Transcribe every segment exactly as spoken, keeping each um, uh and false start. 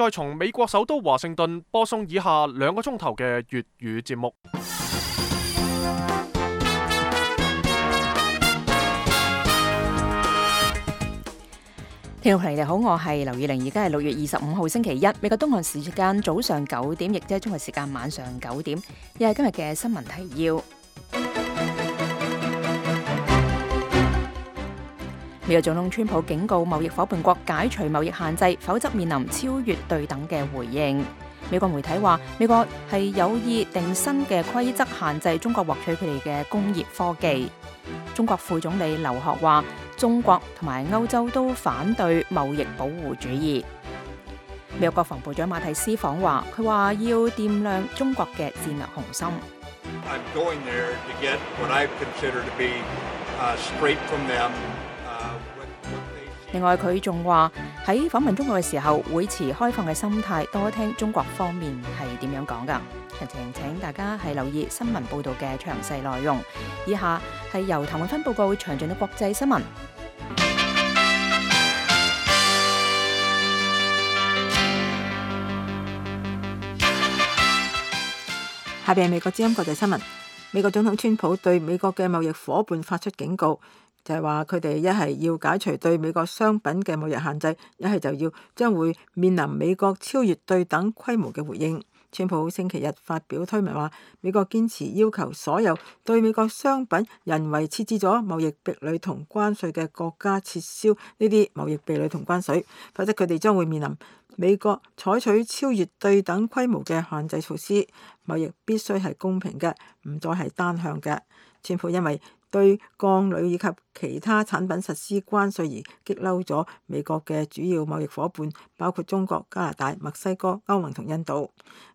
再從美國首都華盛頓播送以下兩個鐘頭嘅粵語節目。聽眾朋友你好，我係劉以玲，而家係六月二十五號星期一，美國東岸時間早上九點，亦即係中國時間晚上九點，又係今日嘅新聞提要。美國總統川普警告貿易夥伴國解除貿易限制，否則面臨超越對等嘅回應。美國媒體話，美國係有意定新嘅規則限制中國獲取佢哋嘅工業科技。中國副總理劉鶴話，中國同埋歐洲都反對貿易保護主義。美國國防部長馬蒂斯訪華，佢話要掂亮中國嘅戰略雄心。I'm going there to get what I consider to be, uh, straight from them. 另外，佢仲話喺訪問中國嘅時候，會持開放嘅心態，多聽中國方面係點樣講噶。詳情請大家係留意新聞報道嘅詳細內容。以下係由譚永芬報告詳盡嘅國際新聞。下邊係美國之音國際新聞。美國總統川普對美國嘅貿易夥伴發出警告。就係話佢哋一係要解除對美國商品嘅貿易限制，一係就要將會面臨美國超越對等規模嘅回應。川普星期日發表推文話，美國堅持要求所有對美國商品人為設置咗貿易壁壘同關稅嘅國家撤銷呢啲貿易壁壘同關稅，否則佢哋將會面臨美國採取超越對等規模嘅限制措施。貿易必須係公平嘅，唔再係單向嘅。川普因為對鋼鋁以及其他產品實施關稅而激嬲咗美國嘅主要貿易夥伴，包括中國、加拿大、墨西哥、歐盟同印度。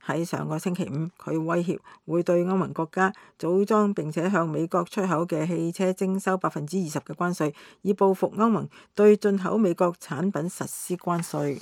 喺上個星期五，佢威脅會對歐盟國家組裝並且向美國出口嘅汽車徵收百分之二十嘅關稅，以報復歐盟對進口美國產品實施關稅。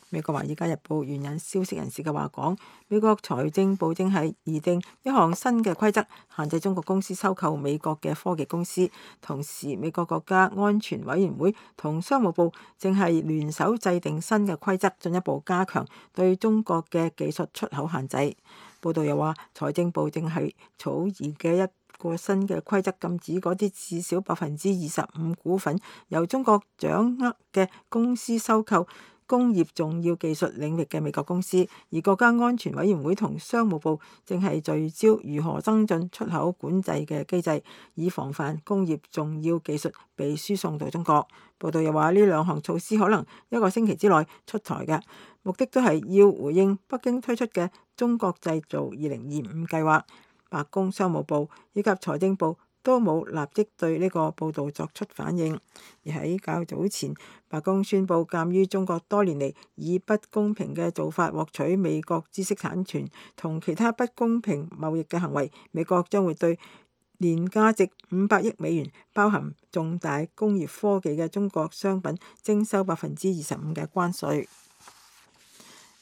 美國《華爾街日報》援引消息人士嘅話講，美國財政部正係擬定一項新嘅規則，限制中國公司收購美國嘅科技公司。同時，美國國家安全委員會同商務部正係聯手制定新嘅規則，進一步加強對中國嘅技術出口限制。報道又話，財政部正係草擬嘅一個新嘅規則，禁止嗰啲至少百分之二十五股份由中國掌握嘅公司收購工業重要技術領域嘅美國公司，而國家安全委員會同商務部正係聚焦如何增進出口管制嘅機制，以防範工業重要技術被輸送到中國。報道又話，呢兩項措施可能一個星期之內出台嘅，目的都係要回應北京推出嘅中國製造二零二五計劃。白宮、商務部以及財政部都冇立即對呢個報導作出反應。而喺較早前，白宮宣布，鑑於中國多年嚟以不公平嘅做法獲取美國知識產權同其他不公平貿易嘅行為，美國將會對年價值五百億美元、包含重大工業科技嘅中國商品徵收百分之二十五嘅關稅。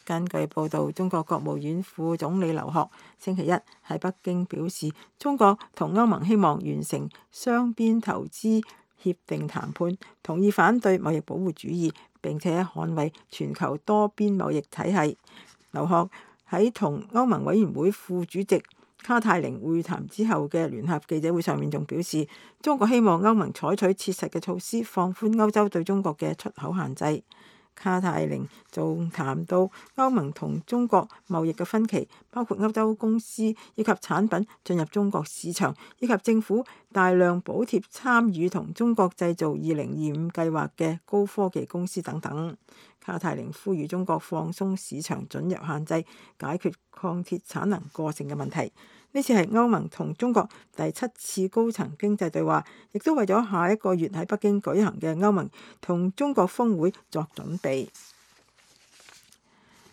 根據報導，中國國務院副總理劉鶴星期一喺北京表示，中國同歐盟希望完成雙邊投資協定談判，同意反對貿易保護主義，並且捍衛全球多邊貿易體系。劉鶴喺同歐盟委員會副主席卡泰寧會談之後嘅聯合記者會上面仲表示，中國希望歐盟採取切實嘅措施，放寬歐洲對中國嘅出口限制。卡泰寧仲談到歐盟同中國貿易嘅分歧，包括歐洲公司以及產品進入中國市場，以及政府大量補貼參與同中國製造二零二五計劃嘅高科技公司等等。卡泰寧呼籲中國放鬆市場准入限制，解決鋼鐵產能過剩嘅問題。呢次係歐盟同中國第七次高層經濟對話，亦都為咗下一個月喺北京舉行嘅歐盟同中國峰會作準備。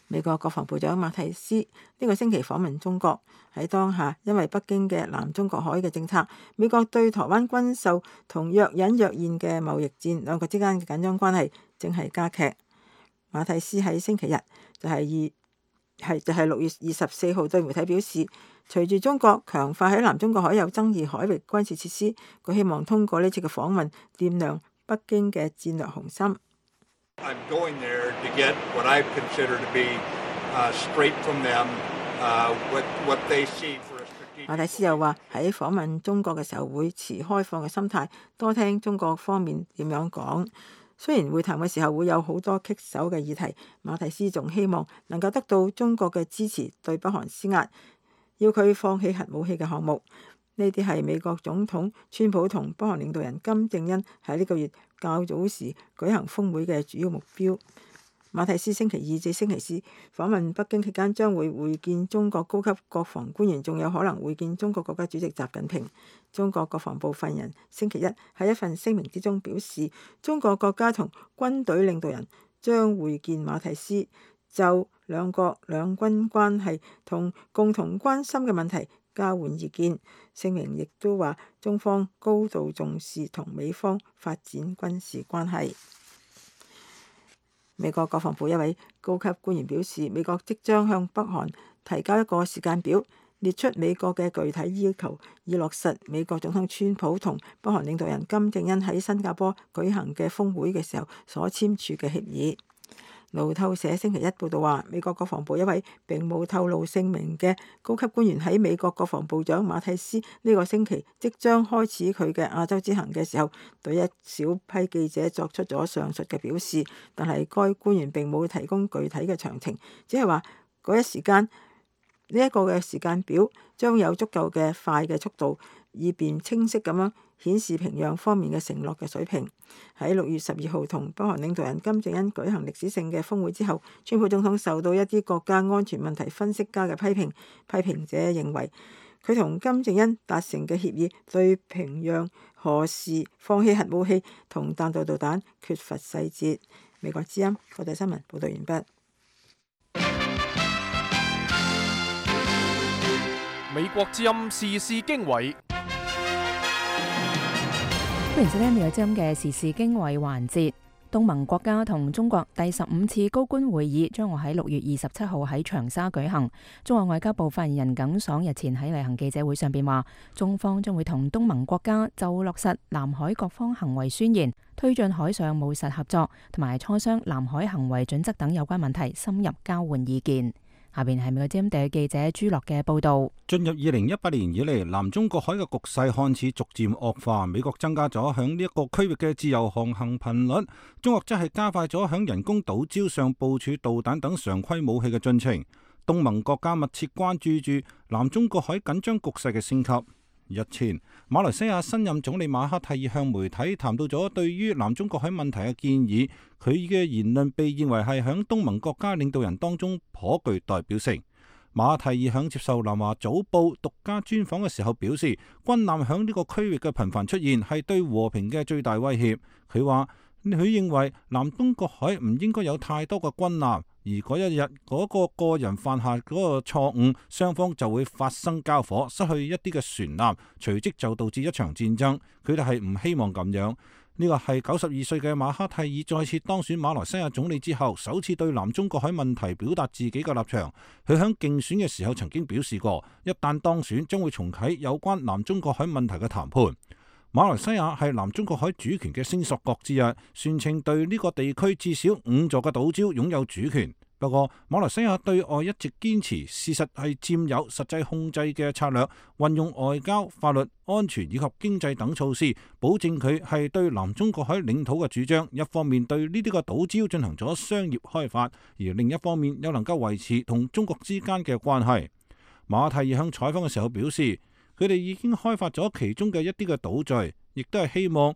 美國國防部長馬蒂斯呢個星期訪問中國，喺當下因為北京嘅南中國海嘅政策，美國對台灣軍售同若隱若現嘅貿易戰，兩國之間嘅緊張關係正係加劇。馬蒂斯喺星期日就係二係就係六月二十四號對媒體表示，隨住中國強化喺南中國海有爭議海域軍事設施，佢希望通過呢次嘅訪問掂量北京嘅戰略雄心。I'm going there to get what I consider to be uh, straight from them, uh, what what they see for a strategic.馬蒂斯又話喺訪問中國嘅時候會持開放嘅心態，多聽中國方面點樣講。雖然會談嘅時候會有好多棘手嘅議題，馬蒂斯仲希望能夠得到中國嘅支持，對北韓施壓，要佢放棄核武器嘅項目。呢啲係美國總統川普同北韓領導人金正恩喺呢個月較早時舉行峰會嘅主要目標。馬蒂斯星期二至星期四訪問北京期間，將會會見中國高級國防官員，仲有可能會見中國國家主席習近平。中國國防部發言人星期一喺一份聲明之中表示，中國國家同軍隊領導人將會見馬蒂斯，就兩國兩軍關係同共同關心嘅問題交換意見。聲明亦都話，中方高度重視同美方發展軍事關係。美國國防部一位高級官員表示，美國即將向北韓提交一個時間表，列出美國嘅具體要求，以落實美國總統川普同北韓領導人金正恩喺新加坡舉行嘅峰會嘅時候所簽署嘅協議。路透社星期一報道話，美國國防部一位並冇透露姓名嘅高級官員喺美國國防部長馬蒂斯呢個星期即將開始佢嘅亞洲之行嘅時候，對一小批記者作出咗上述嘅表示，但係該官員並冇提供具體嘅詳情，只係話嗰一時間呢一個嘅時間表將有足夠嘅快嘅速度，以便清晰咁樣顯示平壤方面嘅承諾嘅水平。喺六月十二號同北韓領導人金正恩舉行歷史性嘅峰會之後，川普總統受到一啲國家安全問題分析家嘅批評。批評者認為佢同金正恩達成嘅協議對平壤何時放棄核武器同彈道導彈缺乏細節。美國之音國際新聞報道完畢。美國之音時事經緯。歡迎收聽美國之音嘅時事經緯環節。東盟國家同中國第十五次高官會議將會喺六月二十七號喺長沙舉行。中國外交部發言人耿爽日前喺例行記者會上邊話，中方將會同東盟國家就落實南海各方行為宣言、推進海上務實合作同埋磋商南海行為準則等有關問題，深入交換意見。下邊係美國之音地記者朱樂嘅報道。進入二零一八年以嚟，南中國海嘅局勢看似逐漸惡化，美國增加咗響呢一個區域嘅自由航行頻率，中國則係加快咗響人工島礁上部署導彈等常規武器嘅進程。東盟國家密切關注住南中國海緊張局勢嘅升級。日前，馬來西亞新任總理馬哈蒂爾向媒體談到咗對於南中國海問題嘅建議，佢嘅言論被認為係響東盟國家領導人當中頗具代表性。馬哈蒂爾響接受南華早報獨家專訪嘅時候表示，軍艦響呢個區域嘅頻繁出現係對和平嘅最大威脅。佢話佢認為南中國海唔應該有太多嘅軍艦，而嗰一日嗰個個人犯下嗰個錯誤，雙方就會發生交火，失去一啲嘅船艦，隨即就導致一場戰爭。佢哋係唔希望咁樣。呢個係九十二歲嘅馬哈蒂爾再次當選馬來西亞總理之後，首次對南中國海問題表達自己嘅立場。佢喺競選嘅時候曾經表示過，一旦當選將會重啟有關南中國海問題嘅談判。馬來西亞係南中國海主權嘅聲索國之一，宣稱對呢個地區至少五座嘅島礁擁有主權。不過，馬來西亞對外一直堅持事實係佔有實際控制嘅策略，運用外交、法律、安全以及經濟等措施，保證佢係對南中國海領土嘅主張。一方面對呢啲個島礁進行咗商業開發，而另一方面又能夠維持同中國之間嘅關係。馬哈蒂爾向採訪嘅時候表示，佢哋已經開發咗其中嘅一啲嘅島嶼，亦都係希望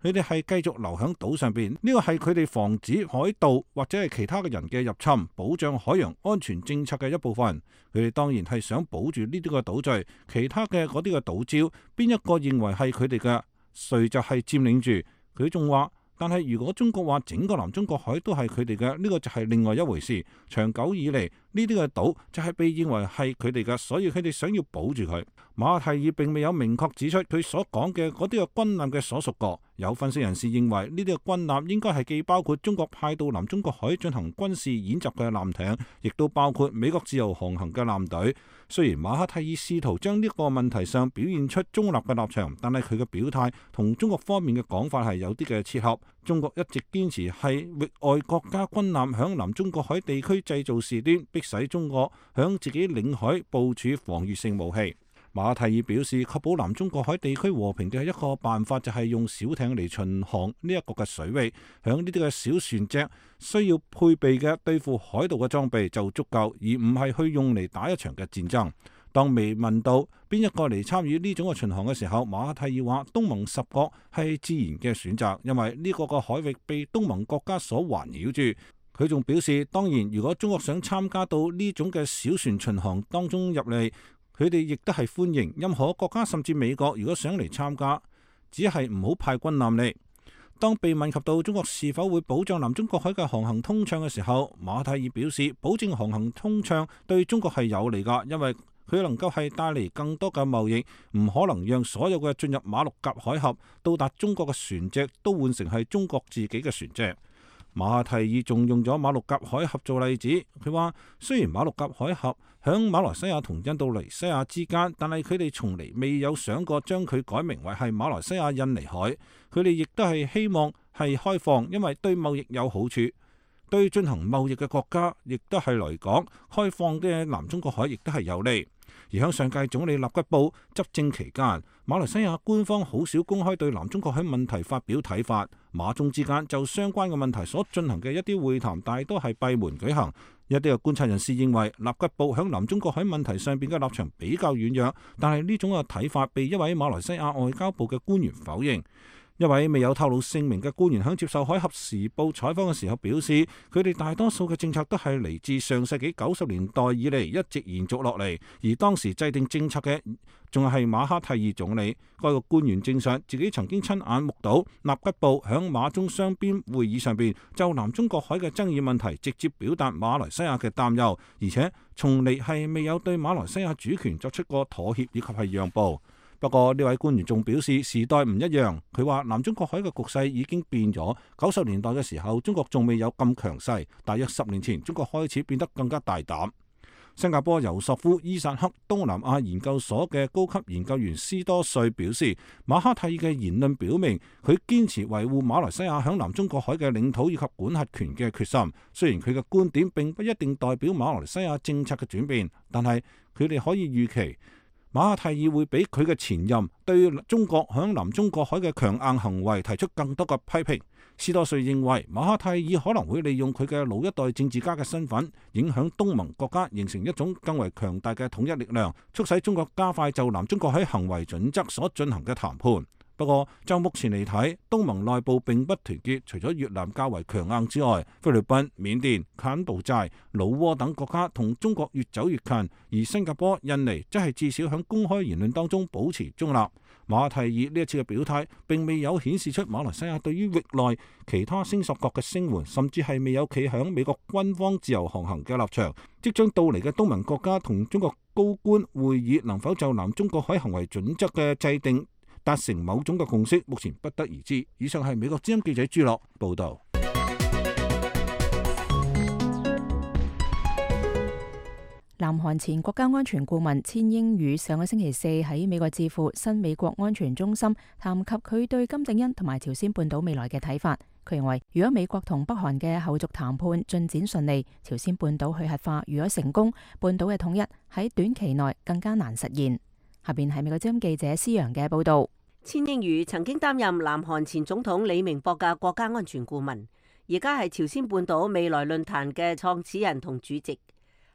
佢哋係繼續留喺島上邊，呢個係佢哋防止海盜或者係其他嘅人嘅入侵，保障海洋安全政策嘅一部分。佢哋當然係想保住呢啲嘅島嶼，其他嘅嗰啲嘅島礁，邊一個認為係佢哋嘅，誰就係佔領住。佢仲話，但係如果中國話整個南中國海都係佢哋嘅，呢個就係另外一回事。長久以嚟，呢啲嘅島就係被認為係佢哋嘅，所以佢哋想要保住佢。馬哈蒂爾並未有明確指出佢所講嘅嗰啲嘅軍艦嘅所屬國，有分析人士認為，呢啲嘅軍艦應該係既包括中國派到南中國海進行軍事演習嘅艦艇，亦都包括美國自由航行嘅艦隊。雖然馬哈蒂爾試圖將呢個問題上表現出中立嘅立場，但係佢嘅表態同中國方面嘅講法係有啲嘅切合。中國一直堅持係域外國家軍艦響南中國海地區製造事端，迫使中國響自己領海部署防禦性武器。馬哈蒂爾表示，確保南中國海地區和平嘅一個辦法就係用小艇嚟巡航呢一個嘅水域，響呢啲嘅小船隻需要配備嘅對付海盜嘅裝備就足夠，而唔係去用嚟打一場嘅戰爭。當未問到邊一個嚟參與呢種嘅巡航嘅時候，馬哈蒂爾話東盟十國係自然嘅選擇，因為呢個個海域被東盟國家所環繞住。佢仲表示，當然如果中國想參加到呢種嘅小船巡航當中入嚟，佢哋亦都係歡迎任何國家，甚至美國如果想嚟參加，只係唔好派軍艦嚟。當被問及到中國是否會保障南中國海嘅航行通暢嘅時候，馬哈蒂爾表示，保證航行通暢對中國係有利㗎，因為佢能夠係帶嚟更多嘅貿易，唔可能讓所有嘅進入馬六甲海峽到達中國嘅船隻都換成係中國自己嘅船隻。馬哈蒂爾仲用咗馬六甲海峽做例子，佢話雖然馬六甲海峽響馬來西亞同印度尼西亞之間，但係佢哋從嚟未有想過將佢改名為係馬來西亞印尼海。佢哋亦都係希望係開放，因為對貿易有好處，對進行貿易嘅國家亦都係嚟講，開放嘅南中國海亦都係有利。而喺上屆總理納吉布執政期間，馬來西亞官方好少公開對南中國海問題發表睇法，馬中之間就相關嘅問題所進行嘅一啲會談，大多係閉門舉行。一啲嘅觀察人士認為，納吉布喺南中國海問題上邊嘅立場比較軟弱，但係呢種嘅睇法被一位馬來西亞外交部嘅官員否認。一位未有透露姓名嘅官員喺接受《海峽時報》採訪嘅時候表示，佢哋大多數嘅政策都係嚟自上世紀九十年代以嚟一直延續落嚟，而當時制定政策嘅仲係馬哈蒂爾總理。該個官員證實自己曾經親眼目睹納吉布響馬中雙邊會議上邊就南中國海嘅爭議問題直接表達馬來西亞嘅擔憂，而且從嚟係未有對馬來西亞主權作出過妥協以及係讓步。不過呢位官員仲表示時代唔一樣，佢話南中國海嘅局勢已經變咗。九十年代嘅時候，中國仲未有咁強勢，大約十年前中國開始變得更加大膽。新加坡尤索夫伊薩克東南亞研究所嘅高級研究員斯多瑞表示，馬哈蒂爾嘅言論表明佢堅持維護馬來西亞響南中國海嘅領土以及管轄權嘅決心。雖然佢嘅觀點並不一定代表馬來西亞政策嘅轉變，但係佢哋可以預期馬哈蒂爾會比佢嘅前任對中國響南中國海嘅強硬行為提出更多嘅批評。斯多瑞認為馬哈蒂爾可能會利用佢嘅老一代政治家嘅身份，影響東盟國家形成一種更為強大嘅統一力量，促使中國加快就南中國海行為準則所進行嘅談判。不過就目前嚟睇，東盟內部並不團結，除咗越南較為強硬之外，菲律賓、緬甸、柬埔寨、老撾等國家同中國越走越近，而新加坡、印尼則係至少喺公開言論當中保持中立。馬哈蒂爾呢一次嘅表態並未有顯示出馬來西亞對於域內其他聲索國嘅聲援，甚至係未有企響美國軍方自由航行嘅立場。即將到嚟嘅東盟國家同中國高官會議能否就南中國海行為準則嘅制定達成某種嘅共識，目前不得而知。以上係美國之音記者朱樂報道。南韓前國家安全顧問千英宇上個星期四喺美國智庫新美國安全中心談及佢對金正恩同埋朝鮮半島未來嘅睇法。佢認為，如果美國同北韓嘅後續談判進展順利，朝鮮半島去核化如果成功，半島嘅統一喺短期內更加難實現。下邊係美國之音記者施陽嘅報道。千英宇曾經擔任南韓前總統李明博嘅國家安全顧問，而家係朝鮮半島未來論壇嘅創始人同主席。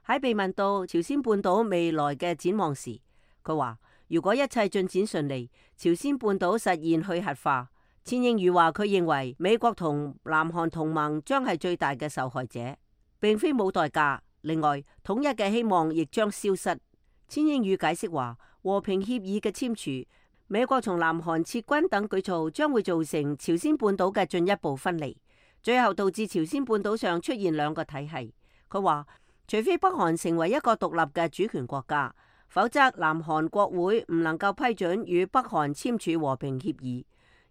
喺被問到朝鮮半島未來嘅展望時，佢話如果一切進展順利，朝鮮半島實現去核化。千英宇話佢認為美國同南韓同盟將係最大嘅受害者，並非冇代價。另外，統一嘅希望亦將消失。千英宇解釋話，和平協議嘅簽署、美國從南韓撤軍等舉措將會造成朝鮮半島嘅進一步分離，最後導致朝鮮半島上出現兩個體系。佢話，除非北韓成為一個獨立嘅主權國家，否則南韓國會唔能夠批准與北韓簽署和平協議，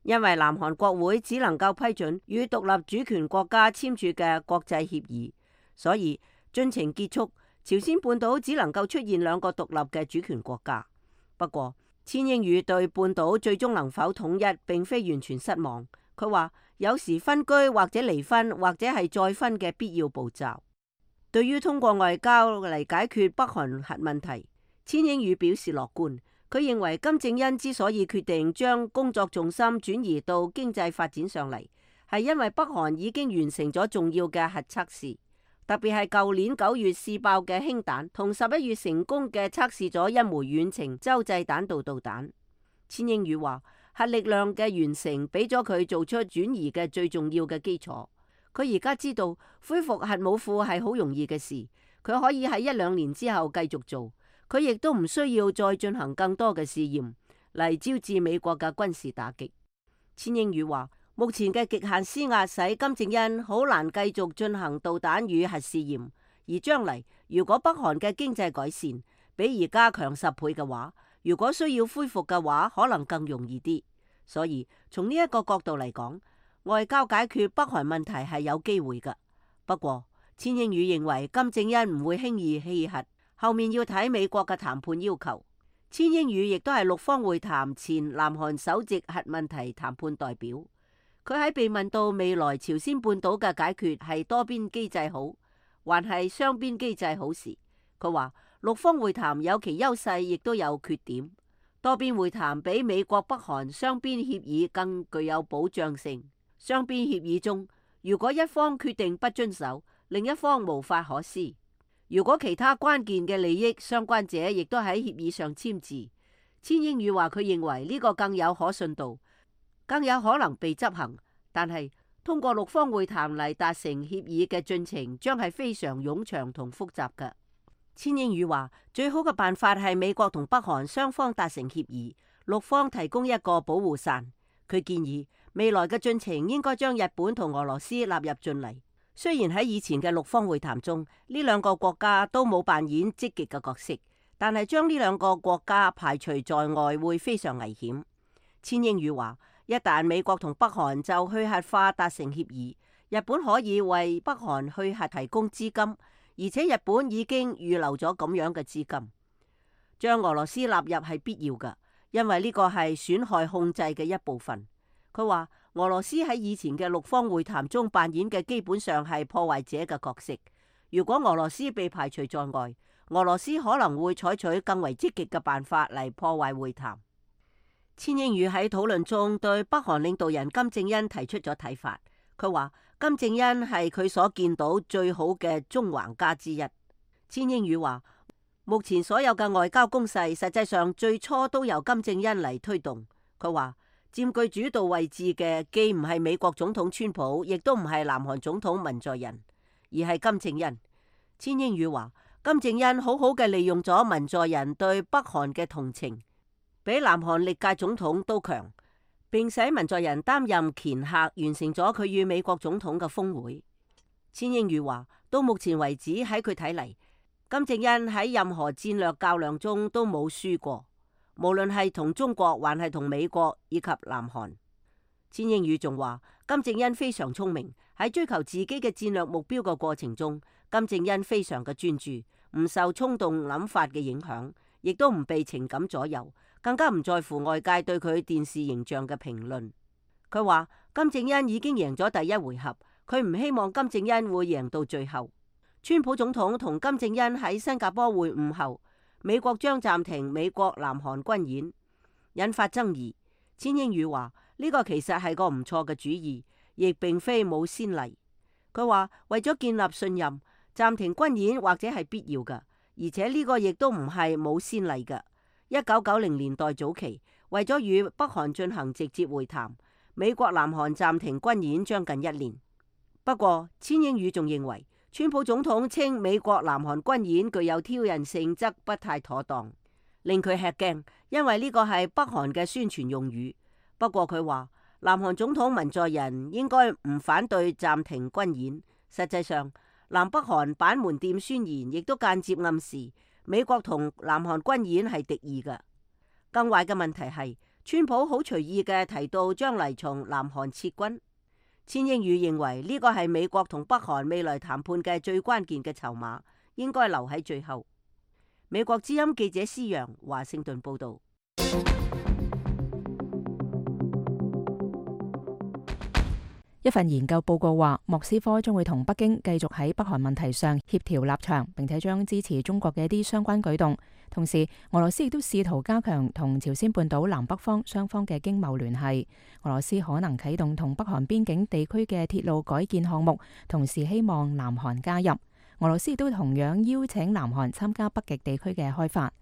因為南韓國會只能夠批准與獨立主權國家簽署嘅國際協議，所以進程結束，朝鮮半島只能夠出現兩個獨立嘅主權國家。不過，千英宇對半島最終能否統一並非完全失望。佢話有時分居或者離婚或者係再分嘅必要步驟。對於通過外交嚟解決北韓核問題，千英宇表示樂觀。佢認為金正恩之所以決定將工作重心轉移到經濟發展上嚟，係因為北韓已經完成咗重要嘅核測試，特別係舊年九月試爆嘅氫彈，同十一月成功嘅測試咗一枚遠程洲際彈道導彈。千英宇話核力量嘅完成俾咗佢做出轉移嘅最重要嘅基礎。佢而家知道恢復核武庫係好容易嘅事，佢可以喺一兩年之後繼續做。佢亦都唔需要再進行更多嘅試驗嚟招致美國嘅軍事打擊。千英宇話，目前嘅極限施壓使金正恩好難繼續進行導彈與核試驗，而將嚟如果北韓嘅經濟改善比而家強十倍嘅話，如果需要恢復嘅話，可能更容易啲。所以從呢一個角度嚟講，外交解決北韓問題係有機會㗎。不過，千英宇認為金正恩唔會輕易棄核。後面要睇美國嘅談判要求。千英宇亦都係六方會談前南韓首席核問題談判代表。佢喺被問到未來朝鮮半島嘅解決係多邊機制好，還係雙邊機制好時，佢話六方會談有其優勢，亦都有缺點。多邊會談比美國北韓雙邊協議更具有保障性。雙邊協議中，如果一方決定不遵守，另一方無法可施。如果其他關鍵嘅利益相關者亦都喺協議上簽字，千英宇話佢認為呢個更有可信度，更有可能被執行。但係通過六方會談嚟達成協議嘅進程將係非常冗長同複雜嘅。千英宇話最好嘅辦法係美國同北韓雙方達成協議，六方提供一個保護傘。佢建議未來嘅進程應該將日本同俄羅斯納入進嚟。雖然喺以前嘅六方會談中，呢兩個國家都冇扮演積極嘅角色，但係將呢兩個國家排除在外會非常危險。千英宇話，一旦美國同北韓就去核化達成協議，日本可以為北韓去核提供資金，而且日本已經預留咗咁樣嘅資金。將俄羅斯納入係必要嘅，因為呢個係損害控制嘅一部分。佢話俄羅斯喺以前嘅六方會談中扮演嘅基本上係破壞者嘅角色。如果俄羅斯被排除在外，俄羅斯可能會採取更為積極嘅辦法嚟破壞會談。千英宇喺討論中對北韓領導人金正恩提出咗睇法。佢話金正恩係佢所見到最好嘅縱橫家之一。千英宇話目前所有嘅外交攻勢實際上最初都由金正恩嚟推動。佢話佔據主導位置嘅既唔係美國總統川普，亦都唔係南韓總統文在寅，而係金正恩。千英宇話金正恩好好嘅利用咗文在寅對北韓嘅同情，比南韓歷屆總統都強，並使文在寅擔任掮客，完成咗佢與美國總統嘅峰會。千英宇話到目前為止喺佢睇嚟，金正恩喺任何戰略較量中都冇輸過。無論係同中國還係同美國以及南韓。千英宇仲話金正恩非常聰明，喺追求自己嘅戰略目標嘅過程中，金正恩非常嘅專注，唔受衝動諗法嘅影響，亦都唔被情感左右，更加唔在乎外界對佢電視形象嘅評論。佢話金正恩已經贏咗第一回合，佢唔希望金正恩會贏到最後。川普總統同金正恩喺新加坡會晤後，美國將暫停美國南韓軍演，引發爭議。千英宇話呢個其實係個唔錯嘅主意，亦並非冇先例。佢話為咗建立信任，暫停軍演或者係必要嘅，而且呢個亦都唔係冇先例嘅。一九九零年代早期，為咗與北韓進行直接會談，美國南韓暫停軍演將近一年。不過千英宇仲認為，川普總統稱美國南韓軍演具有挑釁性質不太妥當，令佢吃驚，因為呢個係北韓嘅宣傳用語。不過佢話南韓總統文在寅應該唔反對暫停軍演。實際上，南北韓板門店宣言亦都間接暗示美國同南韓軍演係敵意嘅。更壞嘅問題係川普好隨意嘅提到將嚟從南韓撤軍。千英宇認為呢個係美國同北韓未來談判嘅最關鍵嘅籌碼，應該留喺最後。美國之音記者施陽華盛頓報道。一份研究報告話，莫斯科將會同北京繼續喺北韓問題上協調立場，並且將支持中國嘅一啲相關舉動。同時，俄羅斯亦都試圖加強同朝鮮半島南北方雙方嘅經貿聯繫。俄羅斯可能啟動同北韓邊境地區嘅鐵路改建項目，同時希望南韓加入。俄羅斯亦都同樣邀請南韓參加北極地區嘅開發。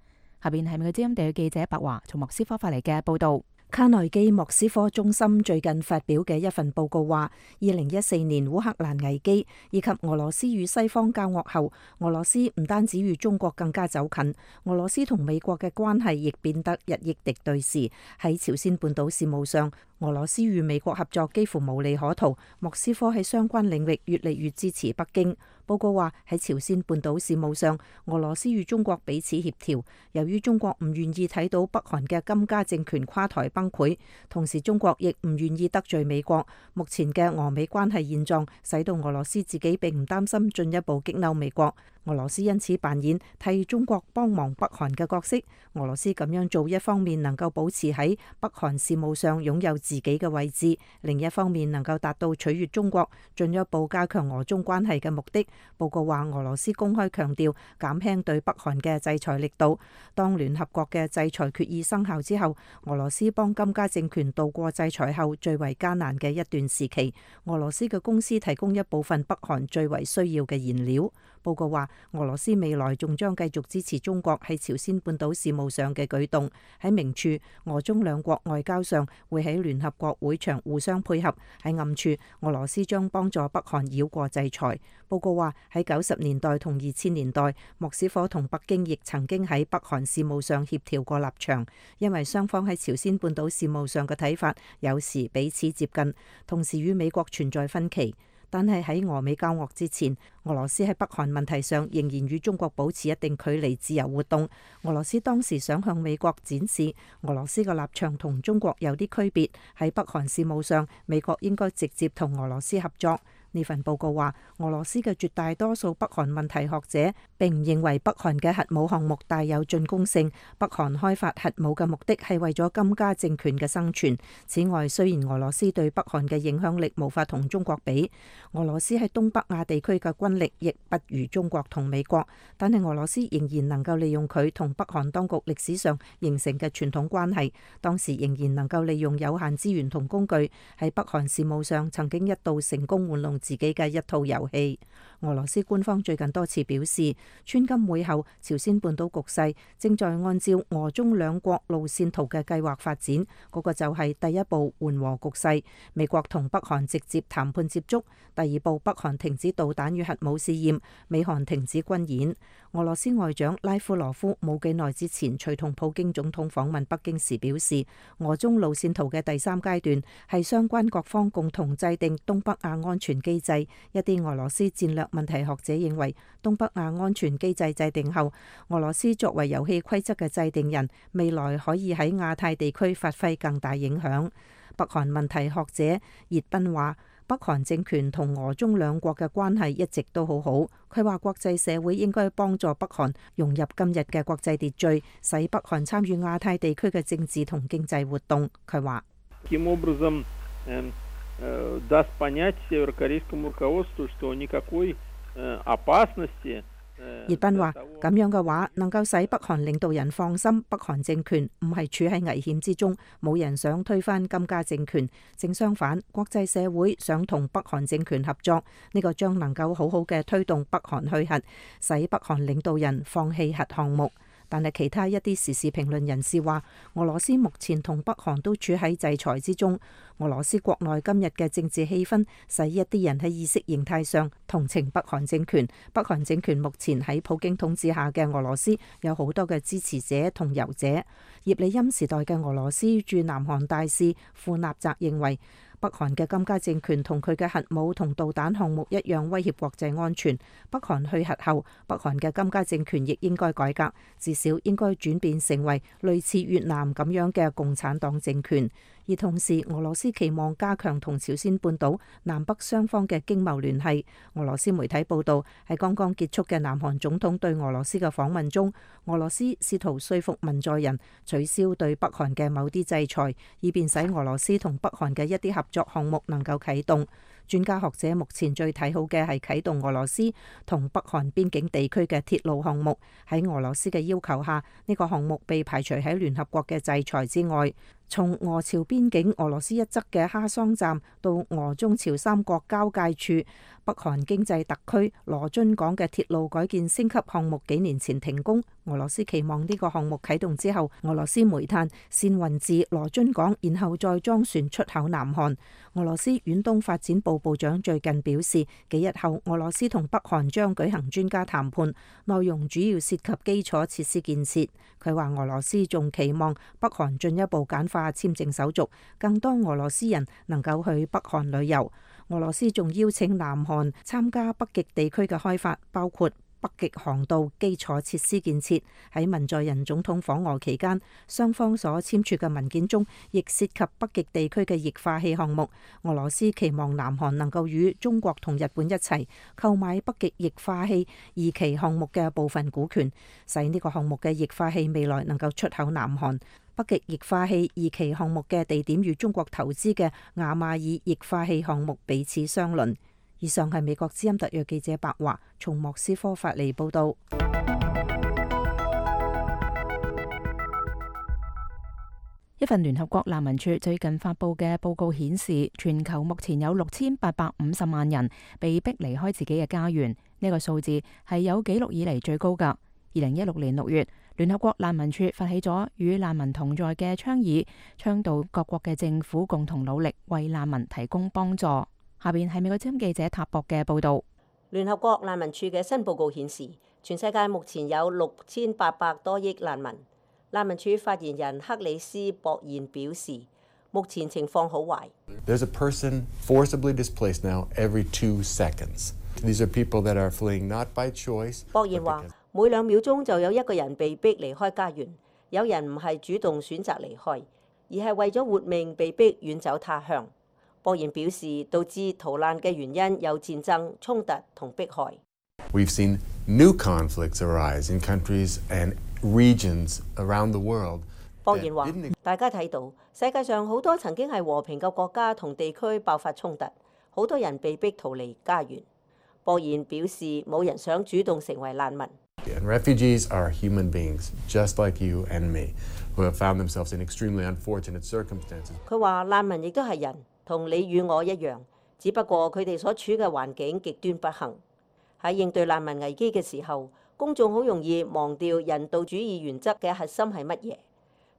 下邊係美國之音地區記者白華從莫斯科發嚟嘅報道。卡內基莫斯科中心最近發表嘅一份報告話，二零一四年烏克蘭危機以及俄羅斯與西方交惡後，俄羅斯唔單止與中國更加走近，俄羅斯同美國嘅關係亦變得日益敵對時，喺朝鮮半島事務上，俄羅斯與美國合作幾乎無利可圖。莫斯科喺相關領域越嚟越支持北京。報告話喺朝鮮半島事務上，俄羅斯與中國彼此協調。由於中國唔願意睇到北韓嘅金家政權垮台崩潰，同時中國亦唔願意得罪美國。目前嘅俄美關係現狀，使到俄羅斯自己並唔擔心進一步激嬲美國。俄羅斯因此扮演替中國幫忙北韓嘅角色。俄羅斯咁樣做，一方面能夠保持喺北韓事務上擁有自己嘅位置，另一方面能夠達到取悅中國、進一步加強俄中關係嘅目的。報告話，俄羅斯公開強調減輕對北韓嘅制裁力度。當聯合國嘅制裁決議生效之後，俄羅斯幫金家政權度過制裁後最為艱難嘅一段時期。俄羅斯嘅公司提供一部分北韓最為需要嘅燃料。報告話，俄羅斯未來仲將繼續支持中國喺朝鮮半島事務上嘅舉動。喺明處，俄中兩國外交上會喺聯合國會場互相配合；喺暗處，俄羅斯將幫助北韓繞過制裁。報告話，喺九十年代同二千年代，莫斯科同北京亦曾經喺北韓事務上協調過立場，因為雙方喺朝鮮半島事務上嘅睇法有時彼此接近，同時與美國存在分歧。但係喺俄美交惡之前，俄羅斯喺北韓問題上仍然與中國保持一定距離，自由活動。俄羅斯當時想向美國展示俄羅斯嘅立場同中國有啲區別，喺北韓事務上，美國應該直接同俄羅斯合作。呢份報告話，俄羅斯嘅絕大多數北韓問題學者並唔認為北韓嘅核武項目帶有進攻性。北韓開發核武嘅目的係為咗金家政權嘅生存。此外，雖然俄羅斯對北韓嘅影響力無法同中國比，俄羅斯喺東北亞地區嘅軍力亦不如中國同美國，但係俄羅斯仍然能夠利用佢同北韓當局歷史上形成嘅傳統關係，當時仍然能夠利用有限資源同工具，喺北韓事務上曾經一度成功玩弄自己嘅一套遊戲。俄羅斯官方最近多次表示，川金會後朝鮮半島局勢正在按照俄中兩國路線圖嘅計劃發展，嗰、那個就係第一步緩和局勢，美國同北韓直接談判接觸；第二步北韓停止導彈與核武試驗，美韓停止軍演。俄羅斯外長拉夫羅夫冇幾耐之前隨同普京總統訪問北京時表示，俄中路線圖嘅第三階段係相關各方共同制定東北亞安全機制。一啲俄羅斯戰略問題學者認為，東北亞安全機制制定後，俄羅斯作為遊戲規則嘅制定人，未來可以喺亞太地區發揮更大影響。北韓問題學者葉斌話，北韓政權同俄中兩國嘅關係一直都好好。佢話國際社會應該幫助北韓融入今日嘅國際秩序，使北韓參與亞太地區嘅政治同經濟活動。佢話葉斌話，咁樣嘅話能夠使北韓領導人放心，北韓政權唔係處喺危險之中，冇人想推翻金家政權。正相反，國際社會想同北韓政權合作，呢個將能夠好好嘅推動北韓去核，使北韓領導人放棄核項目。但係其他一啲時事評論人士話，俄羅斯目前同北韓都處喺制裁之中。俄羅斯國內今日嘅政治氣氛，使一啲人喺意識形態上同情北韓政權。北韓政權目前喺普京統治下嘅俄羅斯有好多嘅支持者同遊者。葉利欽時代嘅俄羅斯駐南韓大使庫納澤認為，北韓嘅金家政權同佢嘅核武同導彈項目一樣威脅國際安全。北韓去核後，北韓嘅金家政權亦應該改革，至少應該轉變成為類似越南咁樣嘅共產黨政權。而同時，俄羅斯期望加強同朝鮮半島南北雙方嘅經貿聯繫。俄羅斯媒體報道，喺剛剛結束嘅南韓總統對俄羅斯嘅訪問中，俄羅斯試圖說服文在寅取消對北韓嘅某啲制裁，以便使俄羅斯同北韓嘅一啲合作項目能夠啟動。專家學者目前最睇好嘅係啟動俄羅斯同北韓邊境地區嘅鐵路項目。喺俄羅斯嘅要求下，呢個項目被排除喺聯合國嘅制裁之外。從俄朝邊境俄羅斯一側嘅哈桑站到俄中朝三國交界處北韓經濟特區羅津港嘅鐵路改建升級項目幾年前停工，俄羅斯期望呢個項目啟動之後，俄羅斯煤炭先運至羅津港，然後再裝船出口南韓。俄羅斯遠東發展部部長最近表示，幾日後俄羅斯同北韓將舉行專家談判，內容主要涉及基礎設施建設。佢話俄羅斯仲期望北韓進一步簡化簽證手續，更多俄羅斯人能夠去北韓旅遊。俄羅斯仲邀請南韓參加北極地區嘅開發，包括北極航道基礎設施建設。喺文在寅總統訪俄期間，雙方所簽署嘅文件中，亦涉及北極地區嘅液化氣項目。俄羅斯期望南韓能夠與中國同日本一齊購買北極液化氣二期項目嘅部分股權，使呢個項目嘅液化氣未來能夠出口南韓。北極液化氣二期項目嘅地點與中國投資嘅雅馬爾液化氣項目彼此相鄰。以上係美國之音特約記者白華從莫斯科發嚟報道。一份聯合國難民署最近發布嘅報告顯示，全球目前有六千八百五十萬人被逼離開自己嘅家園，呢個數字係有紀錄以嚟最高㗎。二零一六年六月，聯合國難民署發起咗與難民同在嘅倡議，倡導各國嘅政府共同努力為難民提供幫助。下邊係美國之音記者塔博嘅報道。聯合國難民署嘅新報告顯示，全世界目前有六千八百多億難民。難民署發言人克里斯博彥表示，目前情況好壞。There's a person forcibly displaced now every two seconds. These are people that are fleeing not by choice. 博彥話，每兩秒鐘就有一個人被逼離開家園，有人唔係主動選擇離開，而係為咗活命被逼遠走他鄉。博彥表示，導致逃難嘅原因有戰爭、衝突同迫害。We've seen new conflicts arise in countries and regions around the world. 博彥話，大家睇到世界上好多曾經係和平嘅國家同地區爆發衝突，好多人被逼逃離家園。博彥表示，冇人想主動成為難民。And refugees are human beings, just like you and me, who have found themselves in extremely unfortunate circumstances. 佢話難民亦都係人，同你與我一樣，只不過佢哋所處嘅環境極端不幸。喺應對難民危機嘅時候，公眾好容易忘掉人道主義原則嘅核心係乜嘢。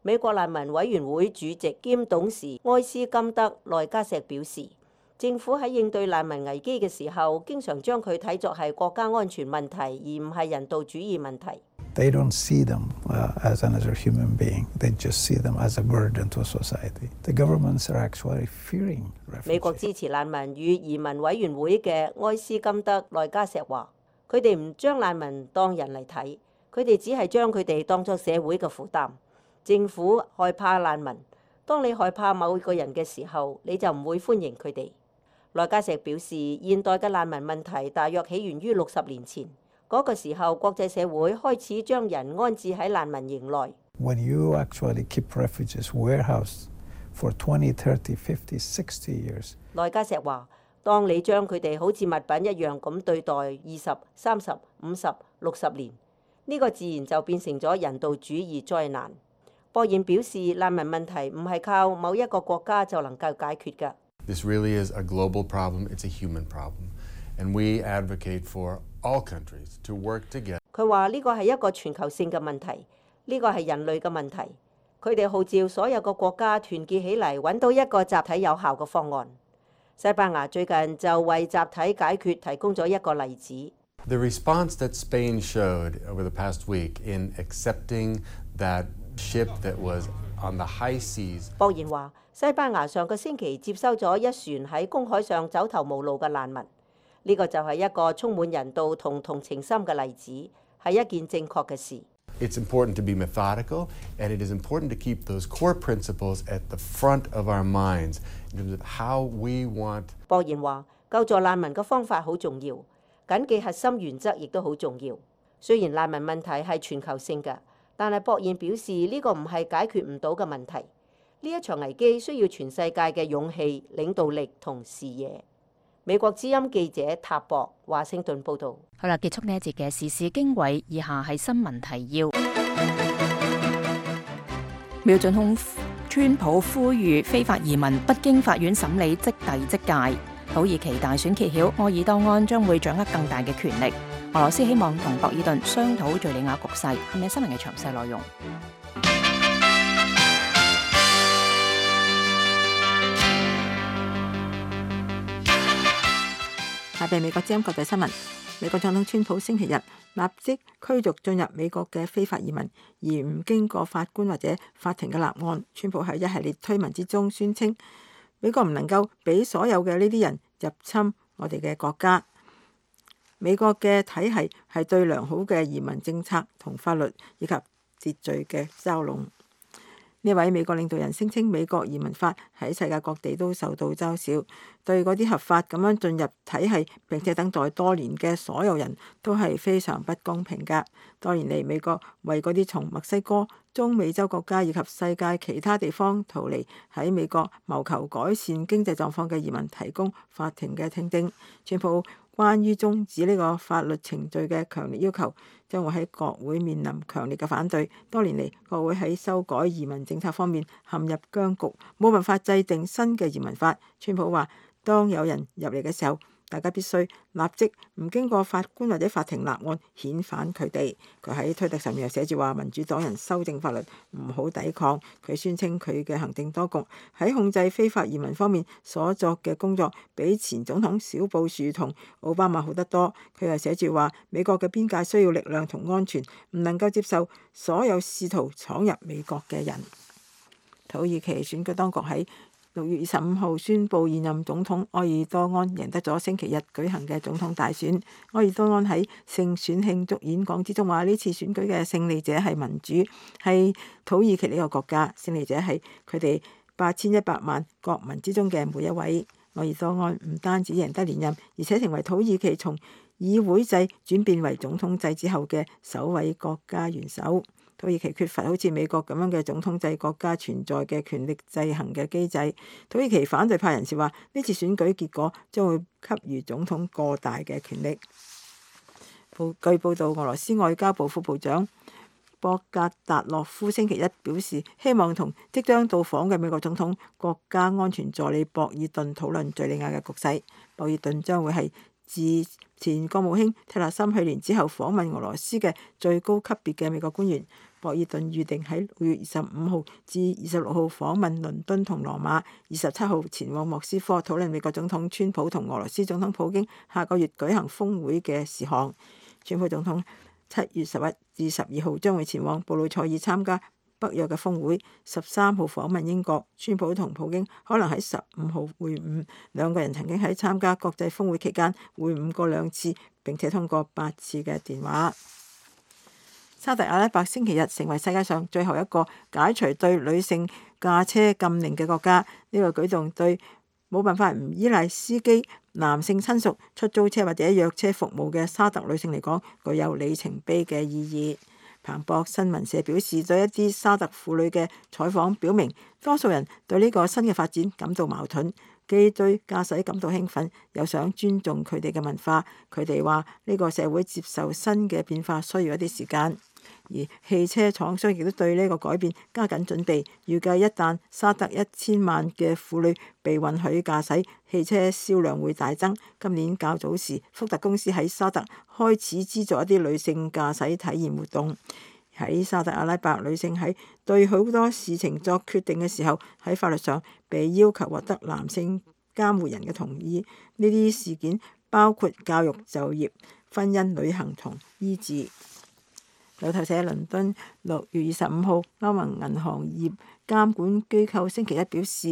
美國難民委員會主席兼董事埃斯金德內加錫表示，政府喺應對難民危機嘅時候，經常將佢睇作係國家安全問題，而唔係人道主義問題。They don't see them uh, as another human being. They just see them as a burden to society. The governments are actually fearing refugees. 美國支持難民與移民委員會嘅埃斯金德內加錫話，佢哋唔將難民當人嚟睇，佢哋只係將佢哋當作社會嘅負擔。政府害怕難民，當你害怕某個人嘅時候，你就唔會歡迎佢哋。內加錫表示，現代嘅難民問題大約起源於六十年前。嗰個時候，國際社會開始將人安置喺難民營內。When you actually keep refugees warehoused for twenty, thirty, fifty, sixty years，內加錫話，當你將佢哋好似物品一樣咁對待二十、三十、五十、六十年，呢個自然就變成咗人道主義災難。博彥表示，難民問題唔係靠某一個國家就能夠解決㗎。This really is a global problem. It's a human problem, and we advocate for all countries to work together. 佢話呢個係一個全球性嘅問題，呢個係人類嘅問題。佢哋號召所有嘅國家團結起嚟，揾到一個集體有效嘅方案。西班牙最近就為集體解決提供咗一個例子。The response that Spain showed over the past week in accepting that ship that was on the high seas。博言話：西班牙上個星期接收咗一船喺公海上走投無路嘅難民，呢個就係一個充滿人道同同情心嘅例子，係一件正確嘅事。It's important to be methodical, and it is important to keep those core principles at the front of our minds in terms of how we want。博言話：救助難民嘅方法好重要，緊記核心原則亦都好重要。雖然難民問題係全球性嘅，但係博言表示呢個唔係解決唔到嘅問題。呢一場危機需要全世界嘅勇氣、領導力同視野。美國之音記者塔博華盛頓報導。好啦，結束呢一節嘅時事經緯，以下係新聞提要。美國總統川普呼籲非法移民不經法院審理即遞即解。土耳其大選揭曉，埃爾多安將會掌握更大嘅權力。俄羅斯希望同博爾頓商討敍利亞局勢。係咪新聞嘅詳細內容？下邊美國之音國際新聞。美國總統川普星期日立即驅逐進入美國嘅非法移民，而唔經過法官或者法庭嘅立案。川普喺一系列推文之中宣稱，美國唔能夠俾所有嘅呢啲人入侵我哋嘅國家。美國嘅體系係對良好嘅移民政策同法律以及秩序嘅嘲弄。呢位美國領導人聲稱美國移民法喺世界各地都受到嘲笑，對嗰啲合法咁樣進入體系並且等待多年嘅所有人都係非常不公平㗎。多年嚟，美國為嗰啲從墨西哥、中美洲國家以及世界其他地方逃離喺美國謀求改善經濟狀況嘅移民提供法庭嘅聽證。川普關於終止呢個法律程序嘅強烈要求，將會喺國會面臨強烈嘅反對。多年嚟，國會喺修改移民政策方面陷入僵局，冇辦法制定新嘅移民法。川普話：當有人入嚟嘅時候，大家必須立即唔經過法官或者法庭立案遣返佢哋。佢喺推特上面又寫住話：民主黨人修正法律唔好抵抗。佢宣稱佢嘅行政當局喺控制非法移民方面所作嘅工作比前總統小布殊同奧巴馬好得多。佢又寫住話：美國嘅邊界需要力量同安全，唔能夠接受所有試圖闖入美國嘅人。土耳其選舉當局喺六月二十五號宣布現任總統埃爾多安贏得咗星期日舉行嘅總統大選。埃爾多安喺勝選慶祝演講之中話：呢次選舉嘅勝利者係民主，係土耳其呢個國家，勝利者係佢哋八千一百萬國民之中嘅每一位。埃爾多安唔單止贏得連任，而且成為土耳其從議會制轉變為總統制之後嘅首位國家元首。土耳其缺乏好似美國咁樣嘅總統制國家存在嘅權力制衡嘅機制。土耳其反對派人士話：呢次選舉結果將會給予總統過大嘅權力。報據報道，俄羅斯外交部副部長博格達諾夫星期一表示，希望同即將到訪嘅美國總統國家安全助理博爾頓討論敍利亞嘅局勢。博爾頓將會係自前國務卿蒂勒森去年之後訪問俄羅斯嘅最高級別嘅美國官員。博爾頓預定喺六月二十五號至二十六號訪問倫敦同羅馬，二十七號前往莫斯科討論美國總統川普同俄羅斯總統普京下個月舉行峰會嘅事項。川普總統七月十一至十二號將會前往布魯塞爾參加北約嘅峰會，十三號訪問英國。川普同普京可能喺十五號會晤，兩個人曾經喺參加國際峰會期間會晤過兩次，並且通過八次嘅電話。沙特阿拉伯星期日成為世界上最後一個解除對女性駕車禁令嘅國家。呢個舉動對冇辦法唔依賴司機、男性親屬、出租車或者約車服務嘅沙特女性嚟講，具有里程碑嘅意義。彭博新聞社表示，對一啲沙特婦女嘅採訪表明，多數人對呢個新嘅發展感到矛盾，既對駕駛感到興奮，又想尊重佢哋嘅文化。佢哋話呢個社會接受新嘅變化需要一啲時間。而汽車廠商亦都對呢個改變加緊準備，預計一旦沙特一千萬嘅婦女被允許駕駛，汽車銷量會大增。今年較早時，福特公司喺沙特開始資助一啲女性駕駛體驗活動。喺沙特阿拉伯，女性喺對好多事情作決定嘅時候，喺法律上被要求獲得男性監護人嘅同意。呢啲事件包括教育、就業、婚姻、旅行同醫治。路透社倫敦六月二十五號，歐盟銀行業監管機構星期一表示，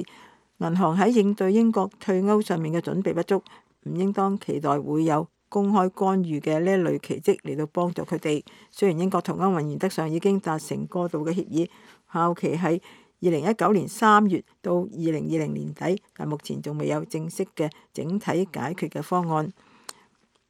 銀行喺應對英國退歐上面嘅準備不足，唔應當期待會有公開干預嘅呢一類奇蹟嚟到幫助佢哋。雖然英國同歐盟原則上已經達成過渡嘅協議，效期係二零一九年三月到二零二零年底，但目前仲未有正式嘅整體解決嘅方案。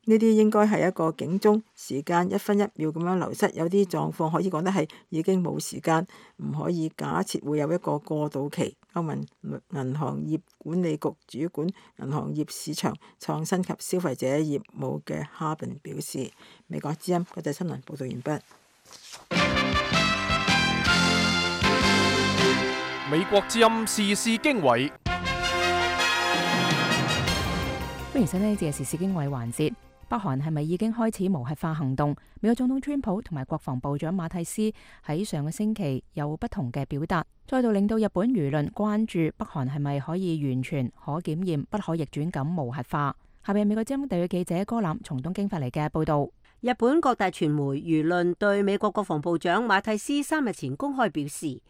呢啲應該係一個警鐘，時間一分一秒咁樣流失，有啲狀況可以講得係已經冇時間，唔可以假設會有一個過渡期。歐盟銀行業管理局主管銀行業市場創新及消費者業務嘅哈賓表示。美國之音國際新聞報道完畢。美國之音時事經緯，歡迎收聽呢節嘅時事經緯環節。北韓係咪已經開始無核化行動？美國總統川普同埋國防部長馬蒂斯喺上個星期有不同嘅表達，再度令到日本輿論關注北韓係咪可以完全可檢驗、不可逆轉咁無核化。下邊美國之音特約記者戈欖從東京發嚟嘅報道。日本各大傳媒輿論對美國國防部長馬蒂斯三日前公開表示，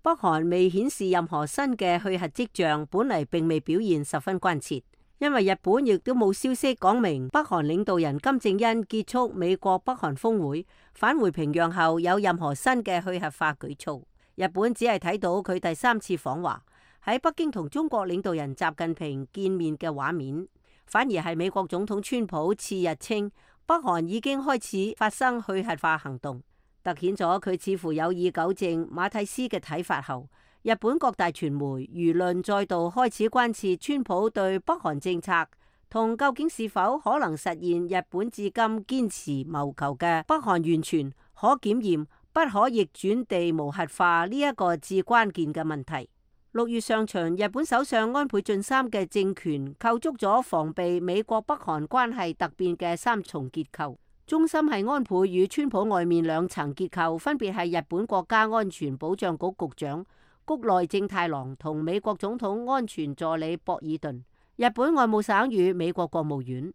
北韓未顯示任何新嘅去核跡象，本嚟並未表現十分關切。因為日本亦都冇消息講明北韓領導人金正恩結束美國北韓峰會返回平壤後有任何新嘅去核化舉措。日本只係睇到佢第三次訪華喺北京同中國領導人習近平見面嘅畫面，反而係美國總統川普次日稱北韓已經開始發生去核化行動，凸顯咗佢似乎有意糾正馬蒂斯嘅睇法後，日本各大傳媒輿論再度開始關切川普對北韓政策同究竟是否可能實現日本至今堅持謀求嘅北韓完全可檢驗、不可逆轉地無核化呢一個至關鍵嘅問題。六月上旬，日本首相安倍晉三嘅政權構築咗防備美國北韓關係突變嘅三重結構，中心係安倍與川普外面兩層結構，分別係日本國家安全保障局局長谷內正太郎同美國總統安全助理博爾頓，日本外務省與美國國務院。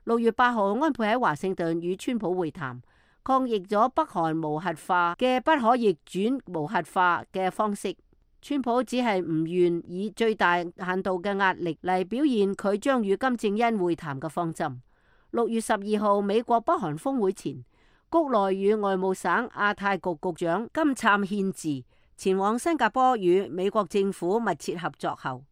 六月八號，安倍喺華盛頓與川普會談，抗議咗北韓無核化嘅不可逆轉無核化嘅方式。川普只係唔願以最大限度嘅壓力嚟表現佢將與金正恩會談嘅方針。六月十二號，美國北韓峰會前，谷內與外務省亞太局局長金燦憲治前往新加坡與美國政府密切合作後，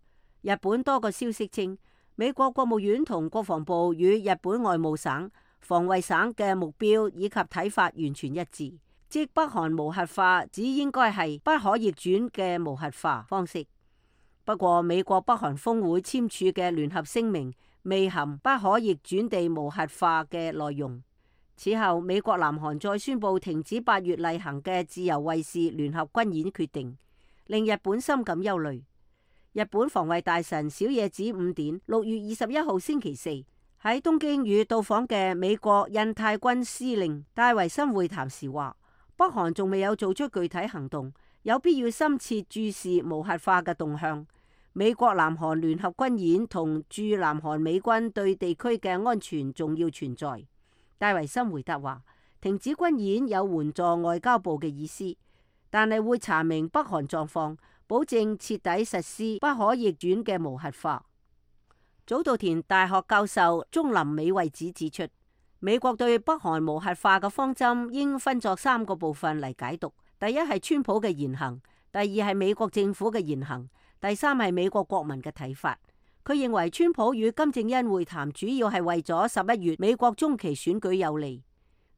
日本多個消息稱，美國國務院同國防部與日本外務省、防衛省嘅目標以及睇法完全一致，即北韓無核化只應該係不可逆轉嘅無核化方式。不過，美國北韓峰會簽署嘅聯合聲明未含不可逆轉地無核化嘅內容。此後，美國南韓再宣布停止八月例行嘅自由衛士聯合軍演決定，令日本深感憂慮。日本防衛大臣小野寺五典六月二十一號星期四喺東京與到訪嘅美國印太軍司令戴維森會談時話，北韓仲未有做出具體行動，有必要深切注視無核化嘅動向。美國南韓聯合軍演同駐南韓美軍對地區嘅安全重要存在。戴維森回答話，停止軍演有援助外交部嘅意思，但係會查明北韓狀況，保證徹底實施不可逆轉嘅無核化。早稻田大學教授中林美惠子指出，美國對北韓無核化嘅方針應分作三個部分嚟解讀：第一係川普嘅言行，第二係美國政府嘅言行，第三係美國國民嘅睇法。佢認為川普與金正恩會談主要係為咗十一月美國中期選舉有利，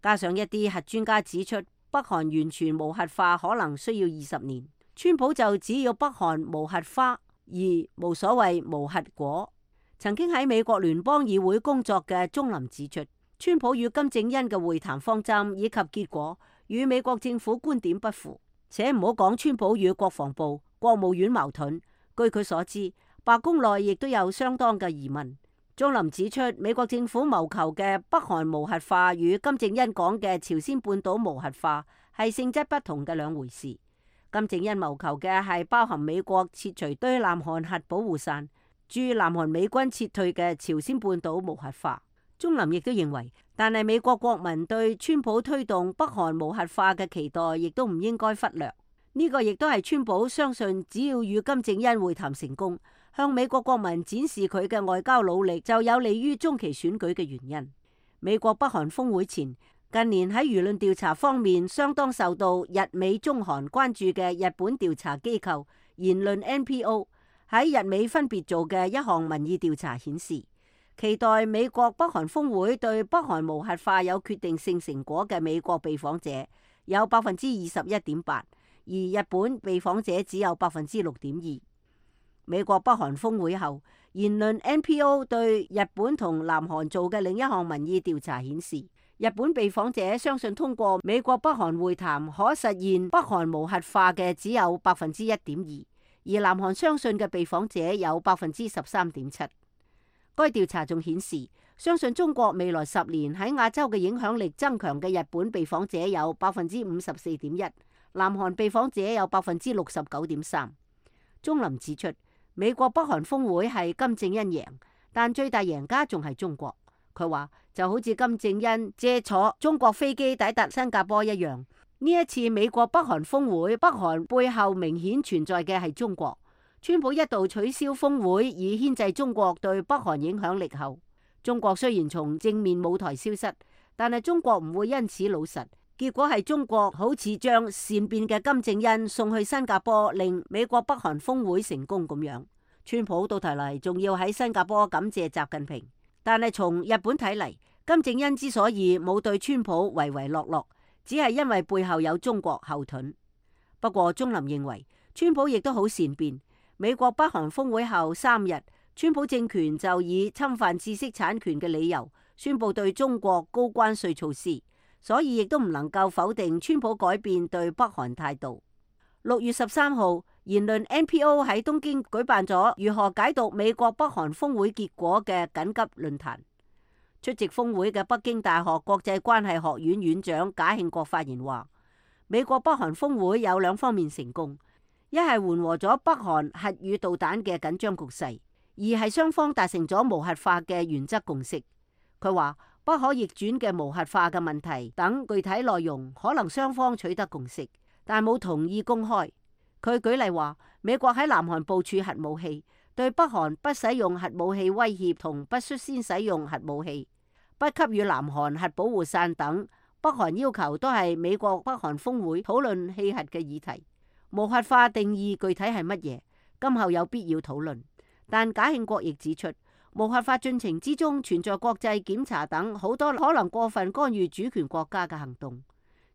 加上一啲核專家指出北韓完全無核化可能需要二十年，川普就只要北韓無核化而無所謂無核果。曾經喺美國聯邦議會工作嘅鍾林指出，川普與金正恩嘅會談方針以及結果與美國政府觀點不符，且唔好講川普與國防部、國務院矛盾，據佢所知，白宮內亦都有相當嘅疑問。鍾林指出，美國政府謀求嘅北韓無核化與金正恩講嘅朝鮮半島無核化係性質不同嘅兩回事。金正恩謀求嘅係包含美國撤除對南韓核保護傘、駐南韓美軍撤退嘅朝鮮半島無核化。鍾林亦都認為，但係美國國民對川普推動北韓無核化嘅期待，亦都唔應該忽略。呢個亦都係川普相信，只要與金正恩會談成功，向美國國民展示佢嘅外交努力，就有利於中期選舉嘅原因。美國北韓峰會前，近年喺輿論調查方面相當受到日美中韓關注嘅日本調查機構言論 N P O 喺日美分別做嘅一項民意調查顯示，期待美國北韓峰會對北韓無核化有決定性成果嘅美國被訪者有百分之二十一點八，而日本被訪者只有百分之六點二。美國北韓峰會後，言論 N P O 對日本同南韓做嘅另一項民意調查顯示，日本被訪者相信通過美國北韓會談可實現北韓無核化嘅只有百分之一點二，而南韓相信嘅被訪者有百分之十三點七。該調查仲顯示，相信中國未來十年喺亞洲嘅影響力增強嘅日本被訪者有百分之五十四點一，南韓被訪者有百分之六十九點三。鍾林指出，美國北韓峰會係金正恩贏，但最大贏家仲係中國。佢話就好似金正恩借坐中國飛機抵達新加坡一樣，呢一次美國北韓峰會，北韓背後明顯存在嘅係中國。川普一度取消峰會以牽制中國對北韓影響力後，中國雖然從正面舞台消失，但係中國唔會因此老實。結果係中國好似將善變嘅金正恩送去新加坡，令美國北韓峰會成功咁樣。川普到頭嚟仲要喺新加坡感謝習近平，但係從日本睇嚟，金正恩之所以冇對川普唯唯諾諾，只係因為背後有中國後盾。不過鍾林認為，川普亦都好善變。美國北韓峰會後三日，川普政權就以侵犯知識產權嘅理由，宣布對中國高關稅措施，所以亦都唔能夠否定川普改變對北韓態度。六月十三號，言論 N P O 喺東京舉辦咗如何解讀美國北韓峰會結果嘅緊急論壇。出席峰會嘅北京大學國際關係學院院長賈慶國發言話，美國北韓峰會有兩方面成功。一係緩和咗北韓核與導彈嘅緊張局勢，二係雙方達成咗無核化嘅原則共識。佢話不可逆轉嘅無核化嘅問題等具體內容可能雙方取得共識，但冇同意公開。佢舉例話，美國喺南韓部署核武器，對北韓不使用核武器威脅同不率先使用核武器，不給予南韓核保護傘等北韓要求都係美國北韓峰會討論棄核嘅議題。無核化定義具體係乜嘢？今後有必要討論。但賈慶國亦指出，無核化進程之中存在國際檢查等好多可能過分干預主權國家嘅行動。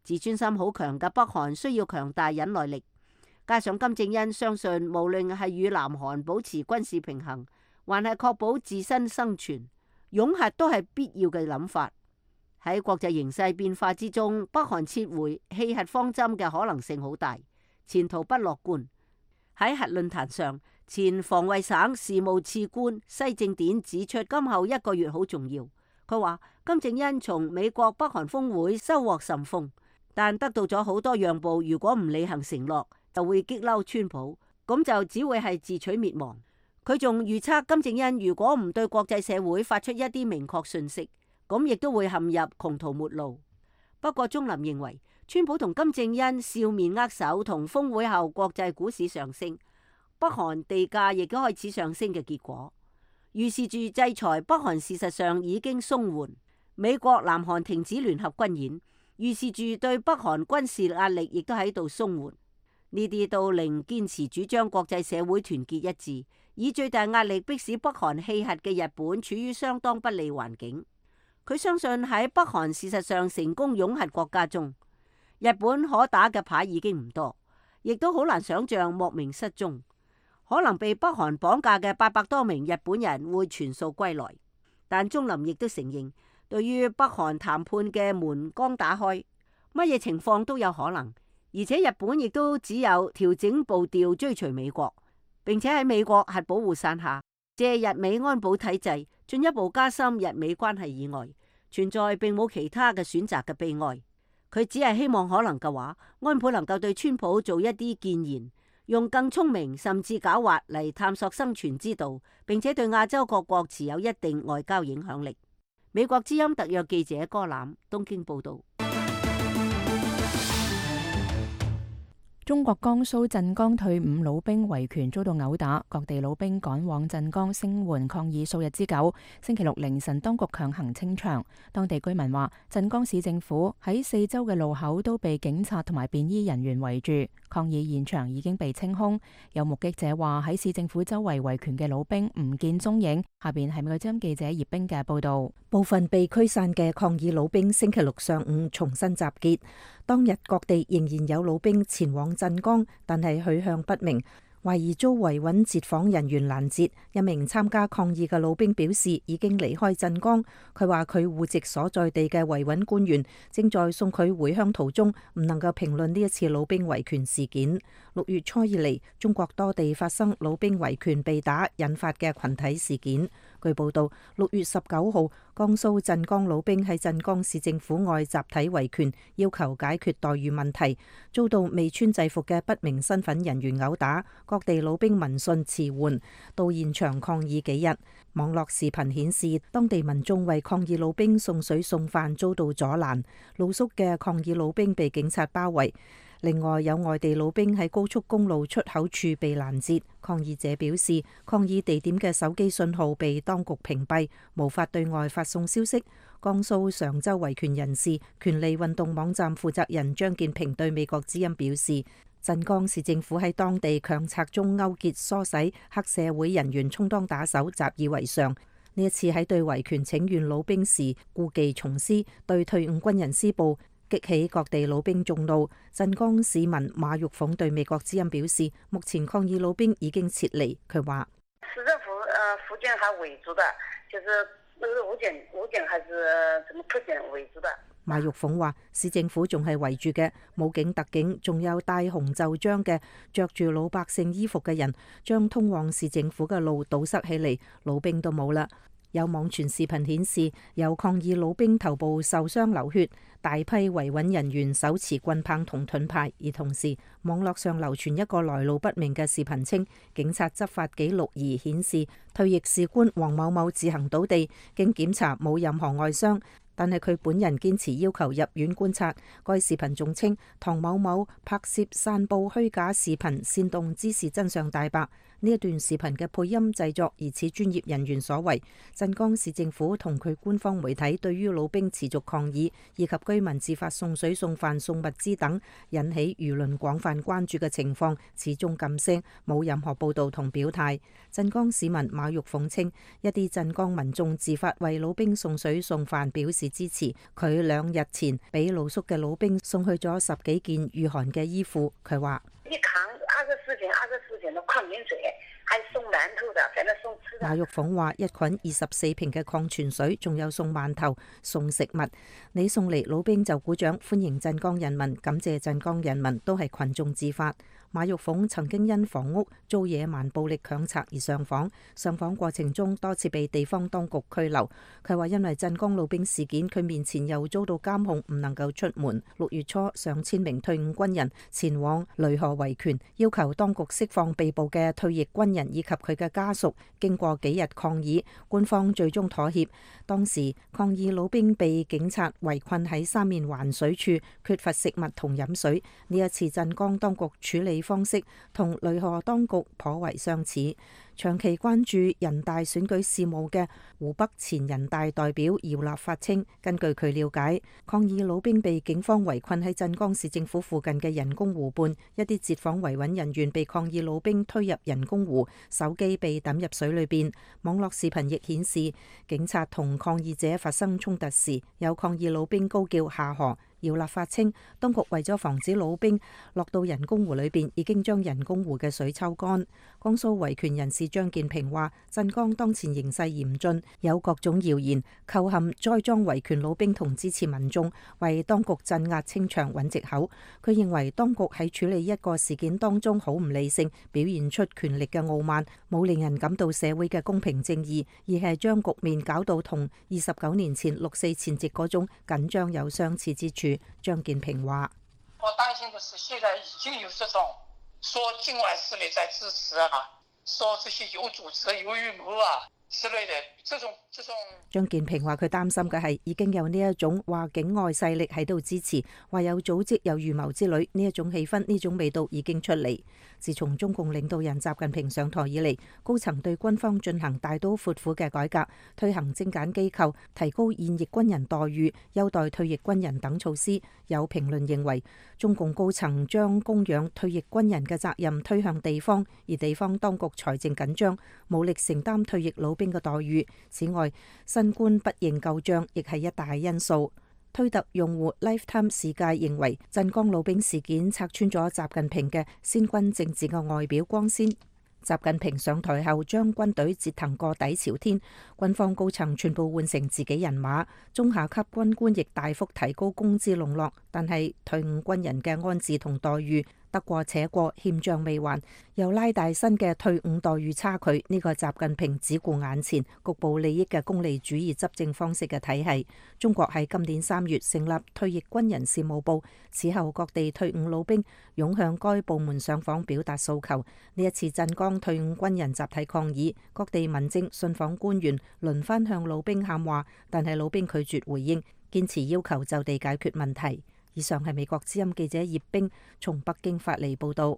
自尊心好強嘅北韓需要強大忍耐力，加上金正恩相信無論係與南韓保持軍事平衡，還係確保自身生存，擁核都係必要嘅諗法。喺國際形勢變化之中，北韓撤回棄核方針嘅可能性好大，前途不樂觀。喺核論壇上，前防衛省事務次官西正典指出，今後一個月好重要。佢話金正恩從美國北韓峰會收穫甚豐，但得到咗好多讓步，如果唔履行承諾，就會激嬲川普，咁就只會係自取滅亡。佢仲預測金正恩如果唔對國際社會發出一啲明確訊息，咁亦都會陷入窮途末路。不過鍾林認為，川普同金正恩笑面握手，同峰會後國際股市上升，北韓地價亦都開始上升嘅結果，預示住制裁北韓事實上已經鬆緩。美國南韓停止聯合軍演，預示住對北韓軍事壓力亦都喺度鬆緩。呢啲都令堅持主張國際社會團結一致，以最大壓力迫使北韓棄核嘅日本處於相當不利環境。佢相信喺北韓事實上成功擁核國家中，日本可打嘅牌已經唔多，亦都好難想象莫名失蹤，可能被北韓綁架嘅八百多名日本人會全數歸來。但鍾林亦都承認，對於北韓談判嘅門剛打開，乜嘢情況都有可能，而且日本亦都只有調整步調追隨美國，並且喺美國核保護傘下，借日美安保體制進一步加深日美關係以外，存在並冇其他嘅選擇嘅悲哀。佢只係希望可能嘅話，安倍能夠對川普做一啲建言，用更聰明甚至狡猾嚟探索生存之道，並且對亞洲各國持有一定外交影響力。美國之音特約記者柯南東京報道。中國江蘇鎮江退伍老兵維權遭到毆打，各地老兵趕往鎮江聲援抗議數日之久。星期六凌晨，當局強行清場。當地居民話，鎮江市政府喺四周嘅路口都被警察同埋便衣人員圍住，抗議現場已經被清空。有目擊者話，喺市政府周圍維權嘅老兵唔見蹤影。下邊係美國之音記者葉冰嘅報道。部分被驅散嘅抗議老兵星期六上午重新集結，當日各地仍然有老兵前往鎮江，但係去向不明，懷疑遭維穩截訪人員攔截。一名參加抗議嘅老兵表示已經離開鎮江，佢話佢戶籍所在地嘅維穩官員正在送佢回鄉途中，唔能夠評論呢一次老兵維權事件。六月初以嚟，中國多地發生老兵維權被打引發嘅群體事件。據報道，六月十九號，江蘇鎮江老兵喺鎮江市政府外集體維權，要求解決待遇問題，遭到未穿制服嘅不明身份人員毆打。各地老兵聞訊遲緩，到現場抗議幾日。網絡視頻顯示，當地民眾為抗議老兵送水送飯遭到阻攔，露宿嘅抗議老兵被警察包圍。另外有外地老兵喺高速公路出口處被攔截，抗議者表示抗議地點嘅手機信號被當局屏蔽，無法對外發送消息。江蘇常州維權人士權利運動網站負責人張建平對美國之音表示，鎮江市政府喺當地強拆中勾結唆使黑社會人員充當打手，習以為常。呢一次喺對維權請願老兵時故技重施，對退伍軍人施暴，激起各地老兵眾怒。鎮江市民馬玉鳳對美國之音表示，目前抗議老兵已經撤離。佢話：市政府呃附近還圍住的，就是那個武警武警還是什麼特警圍住的。馬玉鳳話：市政府仲係圍住嘅，武警、特警，仲有戴紅袖章嘅着住老百姓衣服嘅人，將通往市政府嘅路堵塞起嚟，老兵都冇啦。有網傳視頻顯示，有抗議老兵頭部受傷流血，大批維穩人員手持棍棒同盾牌。而同時，網絡上流傳一個來路不明嘅視頻稱，警察執法記錄儀顯示退役士官黃某某自行倒地，經檢查冇任何外傷，但係佢本人堅持要求入院觀察。該視頻仲稱唐某某拍攝散布虛假視頻，煽動之事真相大白。呢一段視頻嘅配音製作疑似專業人員所為。鎮江市政府同佢官方媒體對於老兵持續抗議以及居民自發送水送飯送物資等引起輿論廣泛關注嘅情況始終噤聲，冇任何報導同表態。鎮江市民馬玉鳳稱，一啲鎮江民眾自發為老兵送水送飯表示支持。佢兩日前俾露宿嘅老兵送去咗十幾件御寒嘅衣服。佢話：一扛二十四件、二十四件的礦泉水，還送饅頭的，反正送吃的。馬玉鳳話：一捆二十四瓶嘅礦泉水，仲有送饅頭、送食物。你送嚟，老兵就鼓掌歡迎鎮江人民，感謝鎮江人民，都係群眾自發。馬玉鳳曾經因房屋遭野蠻暴力強拆而上訪，上訪過程中多次被地方當局拘留。佢話因為鎮江老兵事件，佢面前又遭到監控，唔能夠出門。六月初，上千名退伍軍人前往雷河維權，要求當局釋放被捕嘅退役軍人以及佢嘅家屬。經過幾日抗議，官方最終妥協。當時抗議老兵被警察圍困喺三面環水處，缺乏食物同飲水。呢一次鎮江當局處理方式同雷河當局頗為相似。長期關注人大選舉事務嘅湖北前人大代表姚立發稱，根據佢了解，抗議老兵被警方圍困喺鎮江市政府附近嘅人工湖畔，一啲截訪維穩人員被抗議老兵推入人工湖，手機被抌入水裏邊。網絡視頻亦顯示，警察同抗議者發生衝突時，有抗議老兵高叫下河。姚立發稱，當局為咗防止老兵落到人工湖裏邊，已經將人工湖嘅水抽乾。江蘇維權人士張建平話，鎮江當前形勢嚴峻，有各種謠言構陷栽贓維權老兵同支持民眾，為當局鎮壓清場揾藉口。佢認為當局喺處理一個事件當中好唔理性，表現出權力嘅傲慢，冇令人感到社會嘅公平正義，而係將局面搞到同二十九年前六四前夕嗰種緊張有相似之處。張建平話：我擔心的是，現在已經有這種說境外勢力在支持啊，說這些有組織、有預謀啊，之類的，這種這種。張建平話佢擔心嘅係已經有呢一種話境外勢力喺度支持，話有組織有預謀之類，呢一種氣氛呢種味道已經出嚟。自從中共領導人習近平上台以嚟，高層對軍方進行大刀闊斧嘅改革，推行精簡機構，提高現役軍人待遇，優待退役軍人等措施。有評論認為，中共高層將供養退役軍人嘅責任推向地方，而地方當局財政緊張，無力承擔退役老兵嘅待遇。此外，新官不認舊賬亦係一大因素。推特用戶 Lifetime 世界認為，鎮江老兵事件拆穿咗習近平嘅先軍政治嘅外表光鮮。習近平上台後將軍隊折騰過底朝天，軍方高層全部換成自己人馬，中下級軍官亦大幅提高工資籠絡，但係退伍軍人嘅安置同待遇得過且過，欠賬未還，又拉大新嘅退伍待遇差距。呢個習近平只顧眼前局部利益嘅功利主義執政方式嘅體系。中國喺今年三月成立退役軍人事務部，此後各地退伍老兵湧向該部門上訪表達訴求。呢一次鎮江退伍軍人集體抗議，各地民政信訪官員輪番向老兵喊話，但係老兵拒絕回應，堅持要求就地解決問題。以上係美國之音記者葉冰從北京發嚟報道。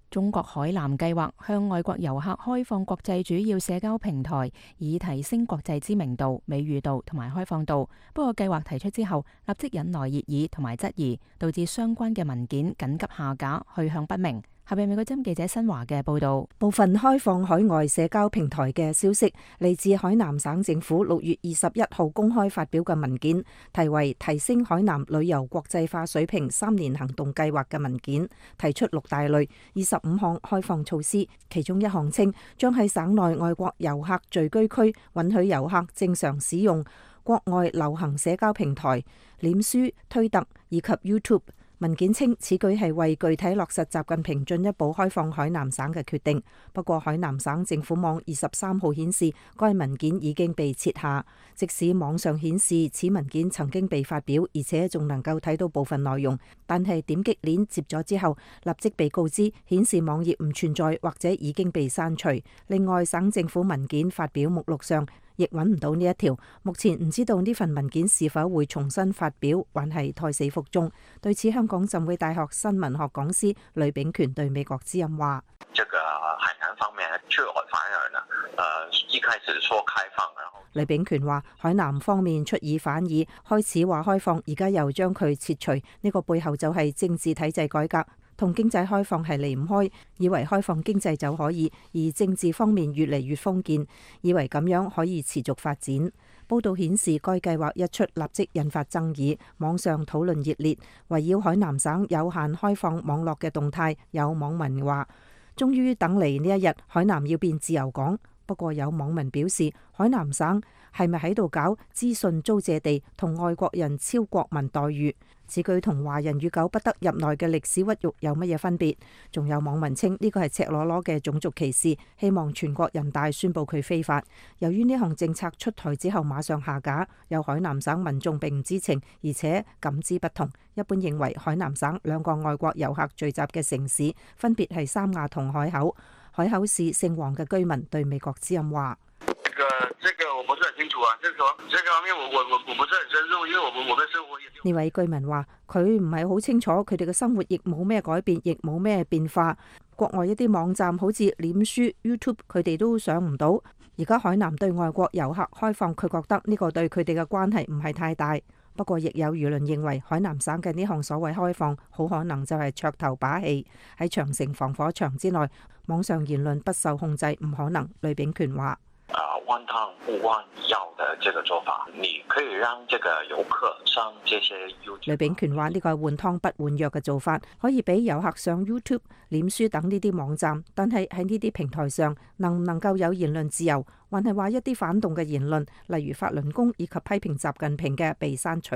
中國海南計劃向外國遊客開放國際主要社交平台，以提升國際知名度、美譽度同埋開放度。不過計劃提出之後，立即引來熱議同埋質疑，導致相關嘅文件緊急下架，去向不明。下邊美國之音記者新華嘅報道，部分開放海外社交平台嘅消息嚟自海南省政府六月二十一號公開發表嘅文件，題為《提升海南旅遊國際化水平三年行動計劃》嘅文件，提出六大類二十五項開放措施，其中一項稱將喺省內外國遊客聚居區允許遊客正常使用國外流行社交平台、臉書、推特以及 YouTube。文件稱此舉係為具體落實習近平進一步開放海南省嘅決定。不過海南省政府網二十三號顯示，該文件已經被撤下。即使網上顯示此文件曾經被發表，而且仲能夠睇到部分內容，但係點擊鏈接咗之後，立即被告知顯示網頁唔存在或者已經被刪除。另外，省政府文件發表目錄上亦揾唔到呢一條，目前唔知道呢份文件是否會重新發表，還係胎死腹中。對此，香港浸會大學新聞學講師呂秉權對美國之音話：這個海南方面卻反而呢，呃，一開始說開放，然後呂秉權話海南方面出爾反爾，開始話開放，而家又將佢撤除，呢個背後就係政治體制改革。同經濟開放係離唔開，以為開放經濟就可以，而政治方面越嚟越封建，以為咁樣可以持續發展。報道顯示，該計劃一出，立即引發爭議，網上討論熱烈，圍繞海南省有限開放網絡嘅動態，有網民話：終於等嚟呢一日，海南要變自由港。不過有網民表示，海南省係咪喺度搞資訊租借地，同外國人超國民待遇？此舉同華人與狗不得入內嘅歷史屈辱有乜嘢分別？仲有網民稱呢個係赤裸裸嘅種族歧視，希望全國人大宣布佢非法。由於呢項政策出台之後馬上下架，有海南省民眾並唔知情，而且感知不同。一般認為海南省兩個外國遊客聚集嘅城市分別係三亞同海口。海口市姓黃嘅居民對美國之音話：這個這個我不是很清楚啊，這個這個方面我我我我不是很深入，因為我們我們生活也呢位居民話佢唔係好清楚，佢哋嘅生活亦冇咩改變，亦冇咩變化。國外一啲網站好似臉書、YouTube，佢哋都上唔到。而家海南對外國遊客開放，佢覺得呢個對佢哋嘅關係唔係太大。不過，亦有輿論認為海南省嘅呢項所謂開放，好可能就係噱頭把戲。喺長城防火牆之內，網上言論不受控制，唔可能。呂秉權話：啊，換湯不換藥的這個做法，你可以讓這個遊客上這些 YouTube。呂秉權話：呢個係換湯不換藥嘅做法，可以俾遊客上 YouTube、臉書等呢啲網站，但係喺呢啲平台上，能唔能夠有言論自由？還係話一啲反動嘅言論，例如法輪功以及批評習近平嘅被刪除，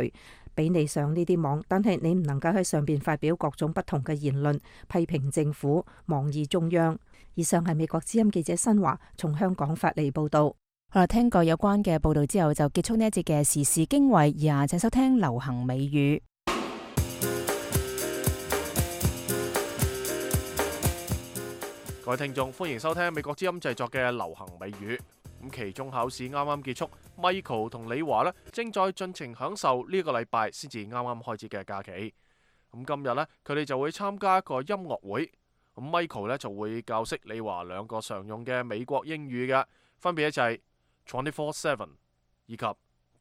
俾你上呢啲網，但係你唔能夠喺上邊發表各種不同嘅言論，批評政府、妄議中央。以上係美國之音記者新華從香港發嚟報道。好啦，聽過有關嘅報道之後，就結束呢一節嘅時事經緯，而家請收聽流行美語。各位聽眾，歡迎收聽美國之音製作嘅流行美語。咁期中考試啱啱結束 ，Michael 同李華呢正在盡情享受呢個禮拜先至啱啱開始嘅假期。咁今日呢，佢哋就會參加一個音樂會。咁 Michael 呢就會教識李華兩個常用嘅美國英語嘅，分別就係 twenty-four seven 以及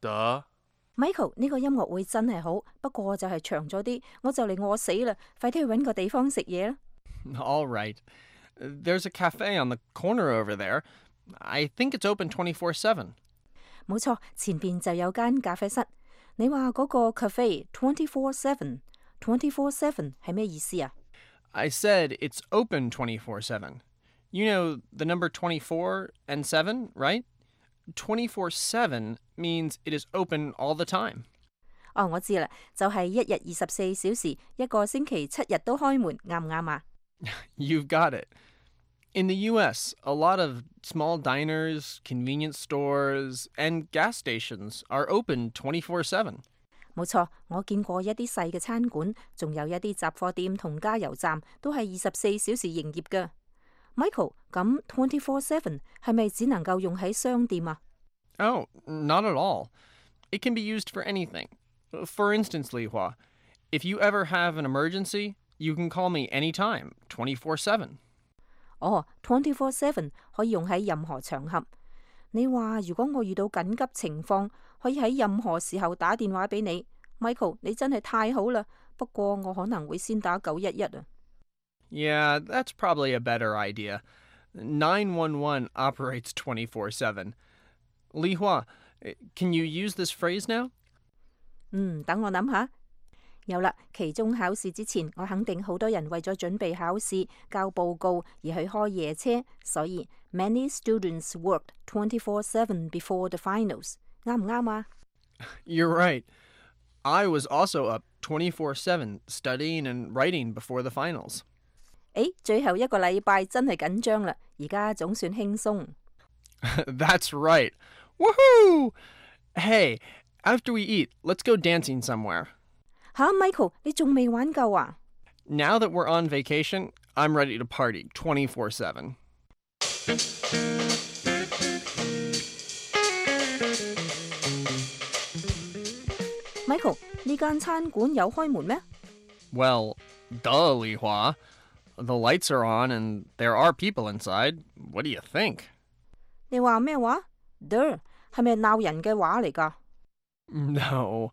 the。Michael 呢個音樂會真係好，不過就係長咗啲，我就嚟餓死啦，快啲去搵個地方食嘢啦。All right. There's a cafe on the corner over there. I think it's open twenty-four seven. 冇錯，前邊就有間咖啡室。你話嗰個 cafe twenty-four seven，twenty-four seven 係咩意思啊？ I said it's open twenty-four seven. You know the number twenty-four and seven, right? twenty-four seven means it is open all the time. 哦，我知啦，就係一日二十四小時，一個星期七日都開門，啱唔啱啊？ You've got it. In the U S, a lot of small diners, convenience stores, and gas stations are open twenty-four seven. 冇錯，我見過一啲細嘅餐館，仲有一啲雜貨店同加油站都係二十四小時營業㗎。Michael，咁 twenty-four seven 係咪只能夠用喺商店啊？ Oh, not at all. It can be used for anything. For instance, Li Hua, if you ever have an emergency, you can call me anytime, twenty-four seven. 哦 ，twenty-four seven 可以用喺任何場合。你話如果我遇到緊急情況，可以喺任何時候打電話俾你 ，Michael， 你真係太好啦。不過我可能會先打九一一啊。Yeah, that's probably a better idea. nine one one operates twenty-four seven. Li Hua, can you use this phrase now? 嗯，等我諗下。有啦，期中考試之前，我肯定好多人為咗準備考試、交報告而去開夜車，所以 many students worked twenty-four seven before the finals。啱唔啱啊？ You're right. I was also up twenty-four seven studying and writing before the finals. 誒，最後一個禮拜真係緊張啦，而家總算輕鬆。That's right. Woohoo! Hey, after we eat, let's go dancing somewhere. 吓 ，Michael， 你仲未玩夠啊？ Now that we're on vacation, I'm ready to party twenty-four seven. Michael， 呢間餐館有開門咩？ Well, duh, Li Hua. The lights are on and there are people inside. What do you think? 你話咩話 ？Duh， 係咪鬧人嘅話嚟㗎？ No,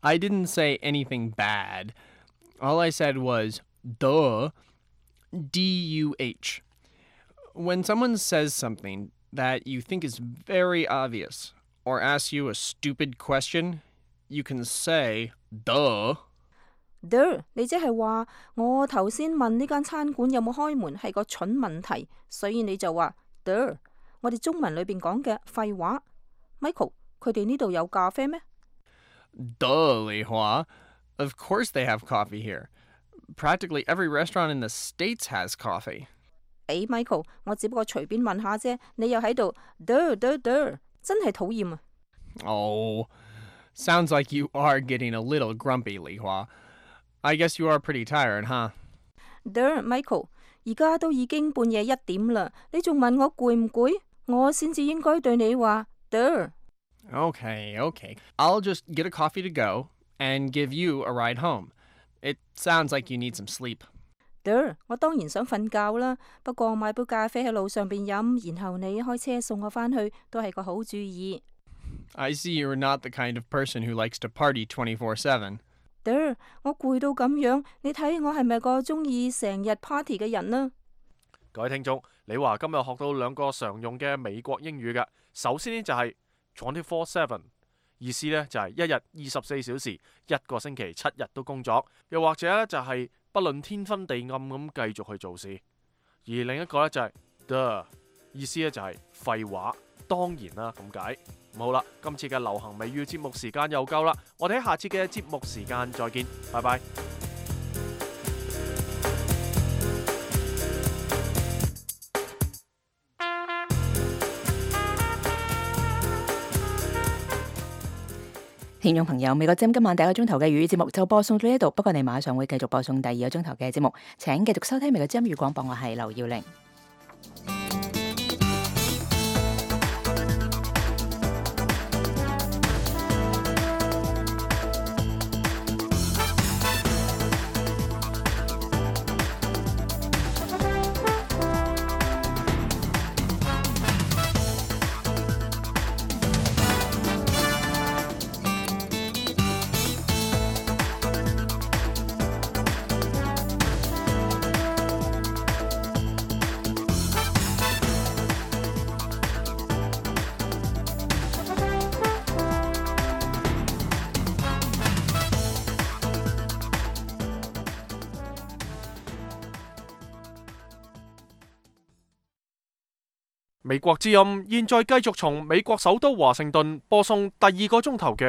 I didn't say anything bad. All I said was duh, D U H. When someone says something that you think is very obvious or asks you a stupid question, you can say duh. Duh， 你即係話我頭先問呢間餐館有冇開門係個蠢問題，所以你就話 Duh， 我哋中文裏邊講嘅廢話。Michael， 佢哋呢度有咖啡咩？ Duh, Li Hua. Of course they have coffee here. Practically every restaurant in the States has coffee. 誒 ，Michael， 我只不過隨便問下啫，你又喺度 Duh Duh Duh， 真係討厭啊！ Oh, sounds like you are getting a little grumpy, Li Hua. I guess you are pretty tired, huh? Duh, Michael， 而家都已經半夜一點啦，你仲問我攰唔攰？我先至應該對你話 Duh。 Okay, okay. I'll just get a coffee to go and give you a ride home. It sounds like you need some sleep. Duh， 我當然想瞓覺啦，不過買杯咖啡喺路上邊飲，然後你開車送我返去，都係個好主意。I see you're not the kind of person who likes to party twenty-four seven. Duh， 我攰到咁樣，你睇我係咪個中意成日 party 嘅人呢？各位聽眾，李華今日學到兩個常用嘅美國英語嘅。首先呢就係 twenty-four seven， 意思呢就係一日二十四小時，一個星期七日都工作，又或者呢就係不論天昏地暗咁繼續去做事。而另一個呢就係 the， 意思呢就係廢話，當然啦咁解。好啦，今次嘅流行美語節目時間又夠啦，我哋喺下次嘅節目時間再見，拜拜。聽眾朋友，美國之音今晚第一個鐘頭嘅粵語節目就播送到呢度，不過你馬上會繼續播送第二個鐘頭嘅節目，請繼續收聽美國之音粵語廣播，我係劉耀玲。美國之音現在繼續從美國首都華盛頓播送第二個鐘頭嘅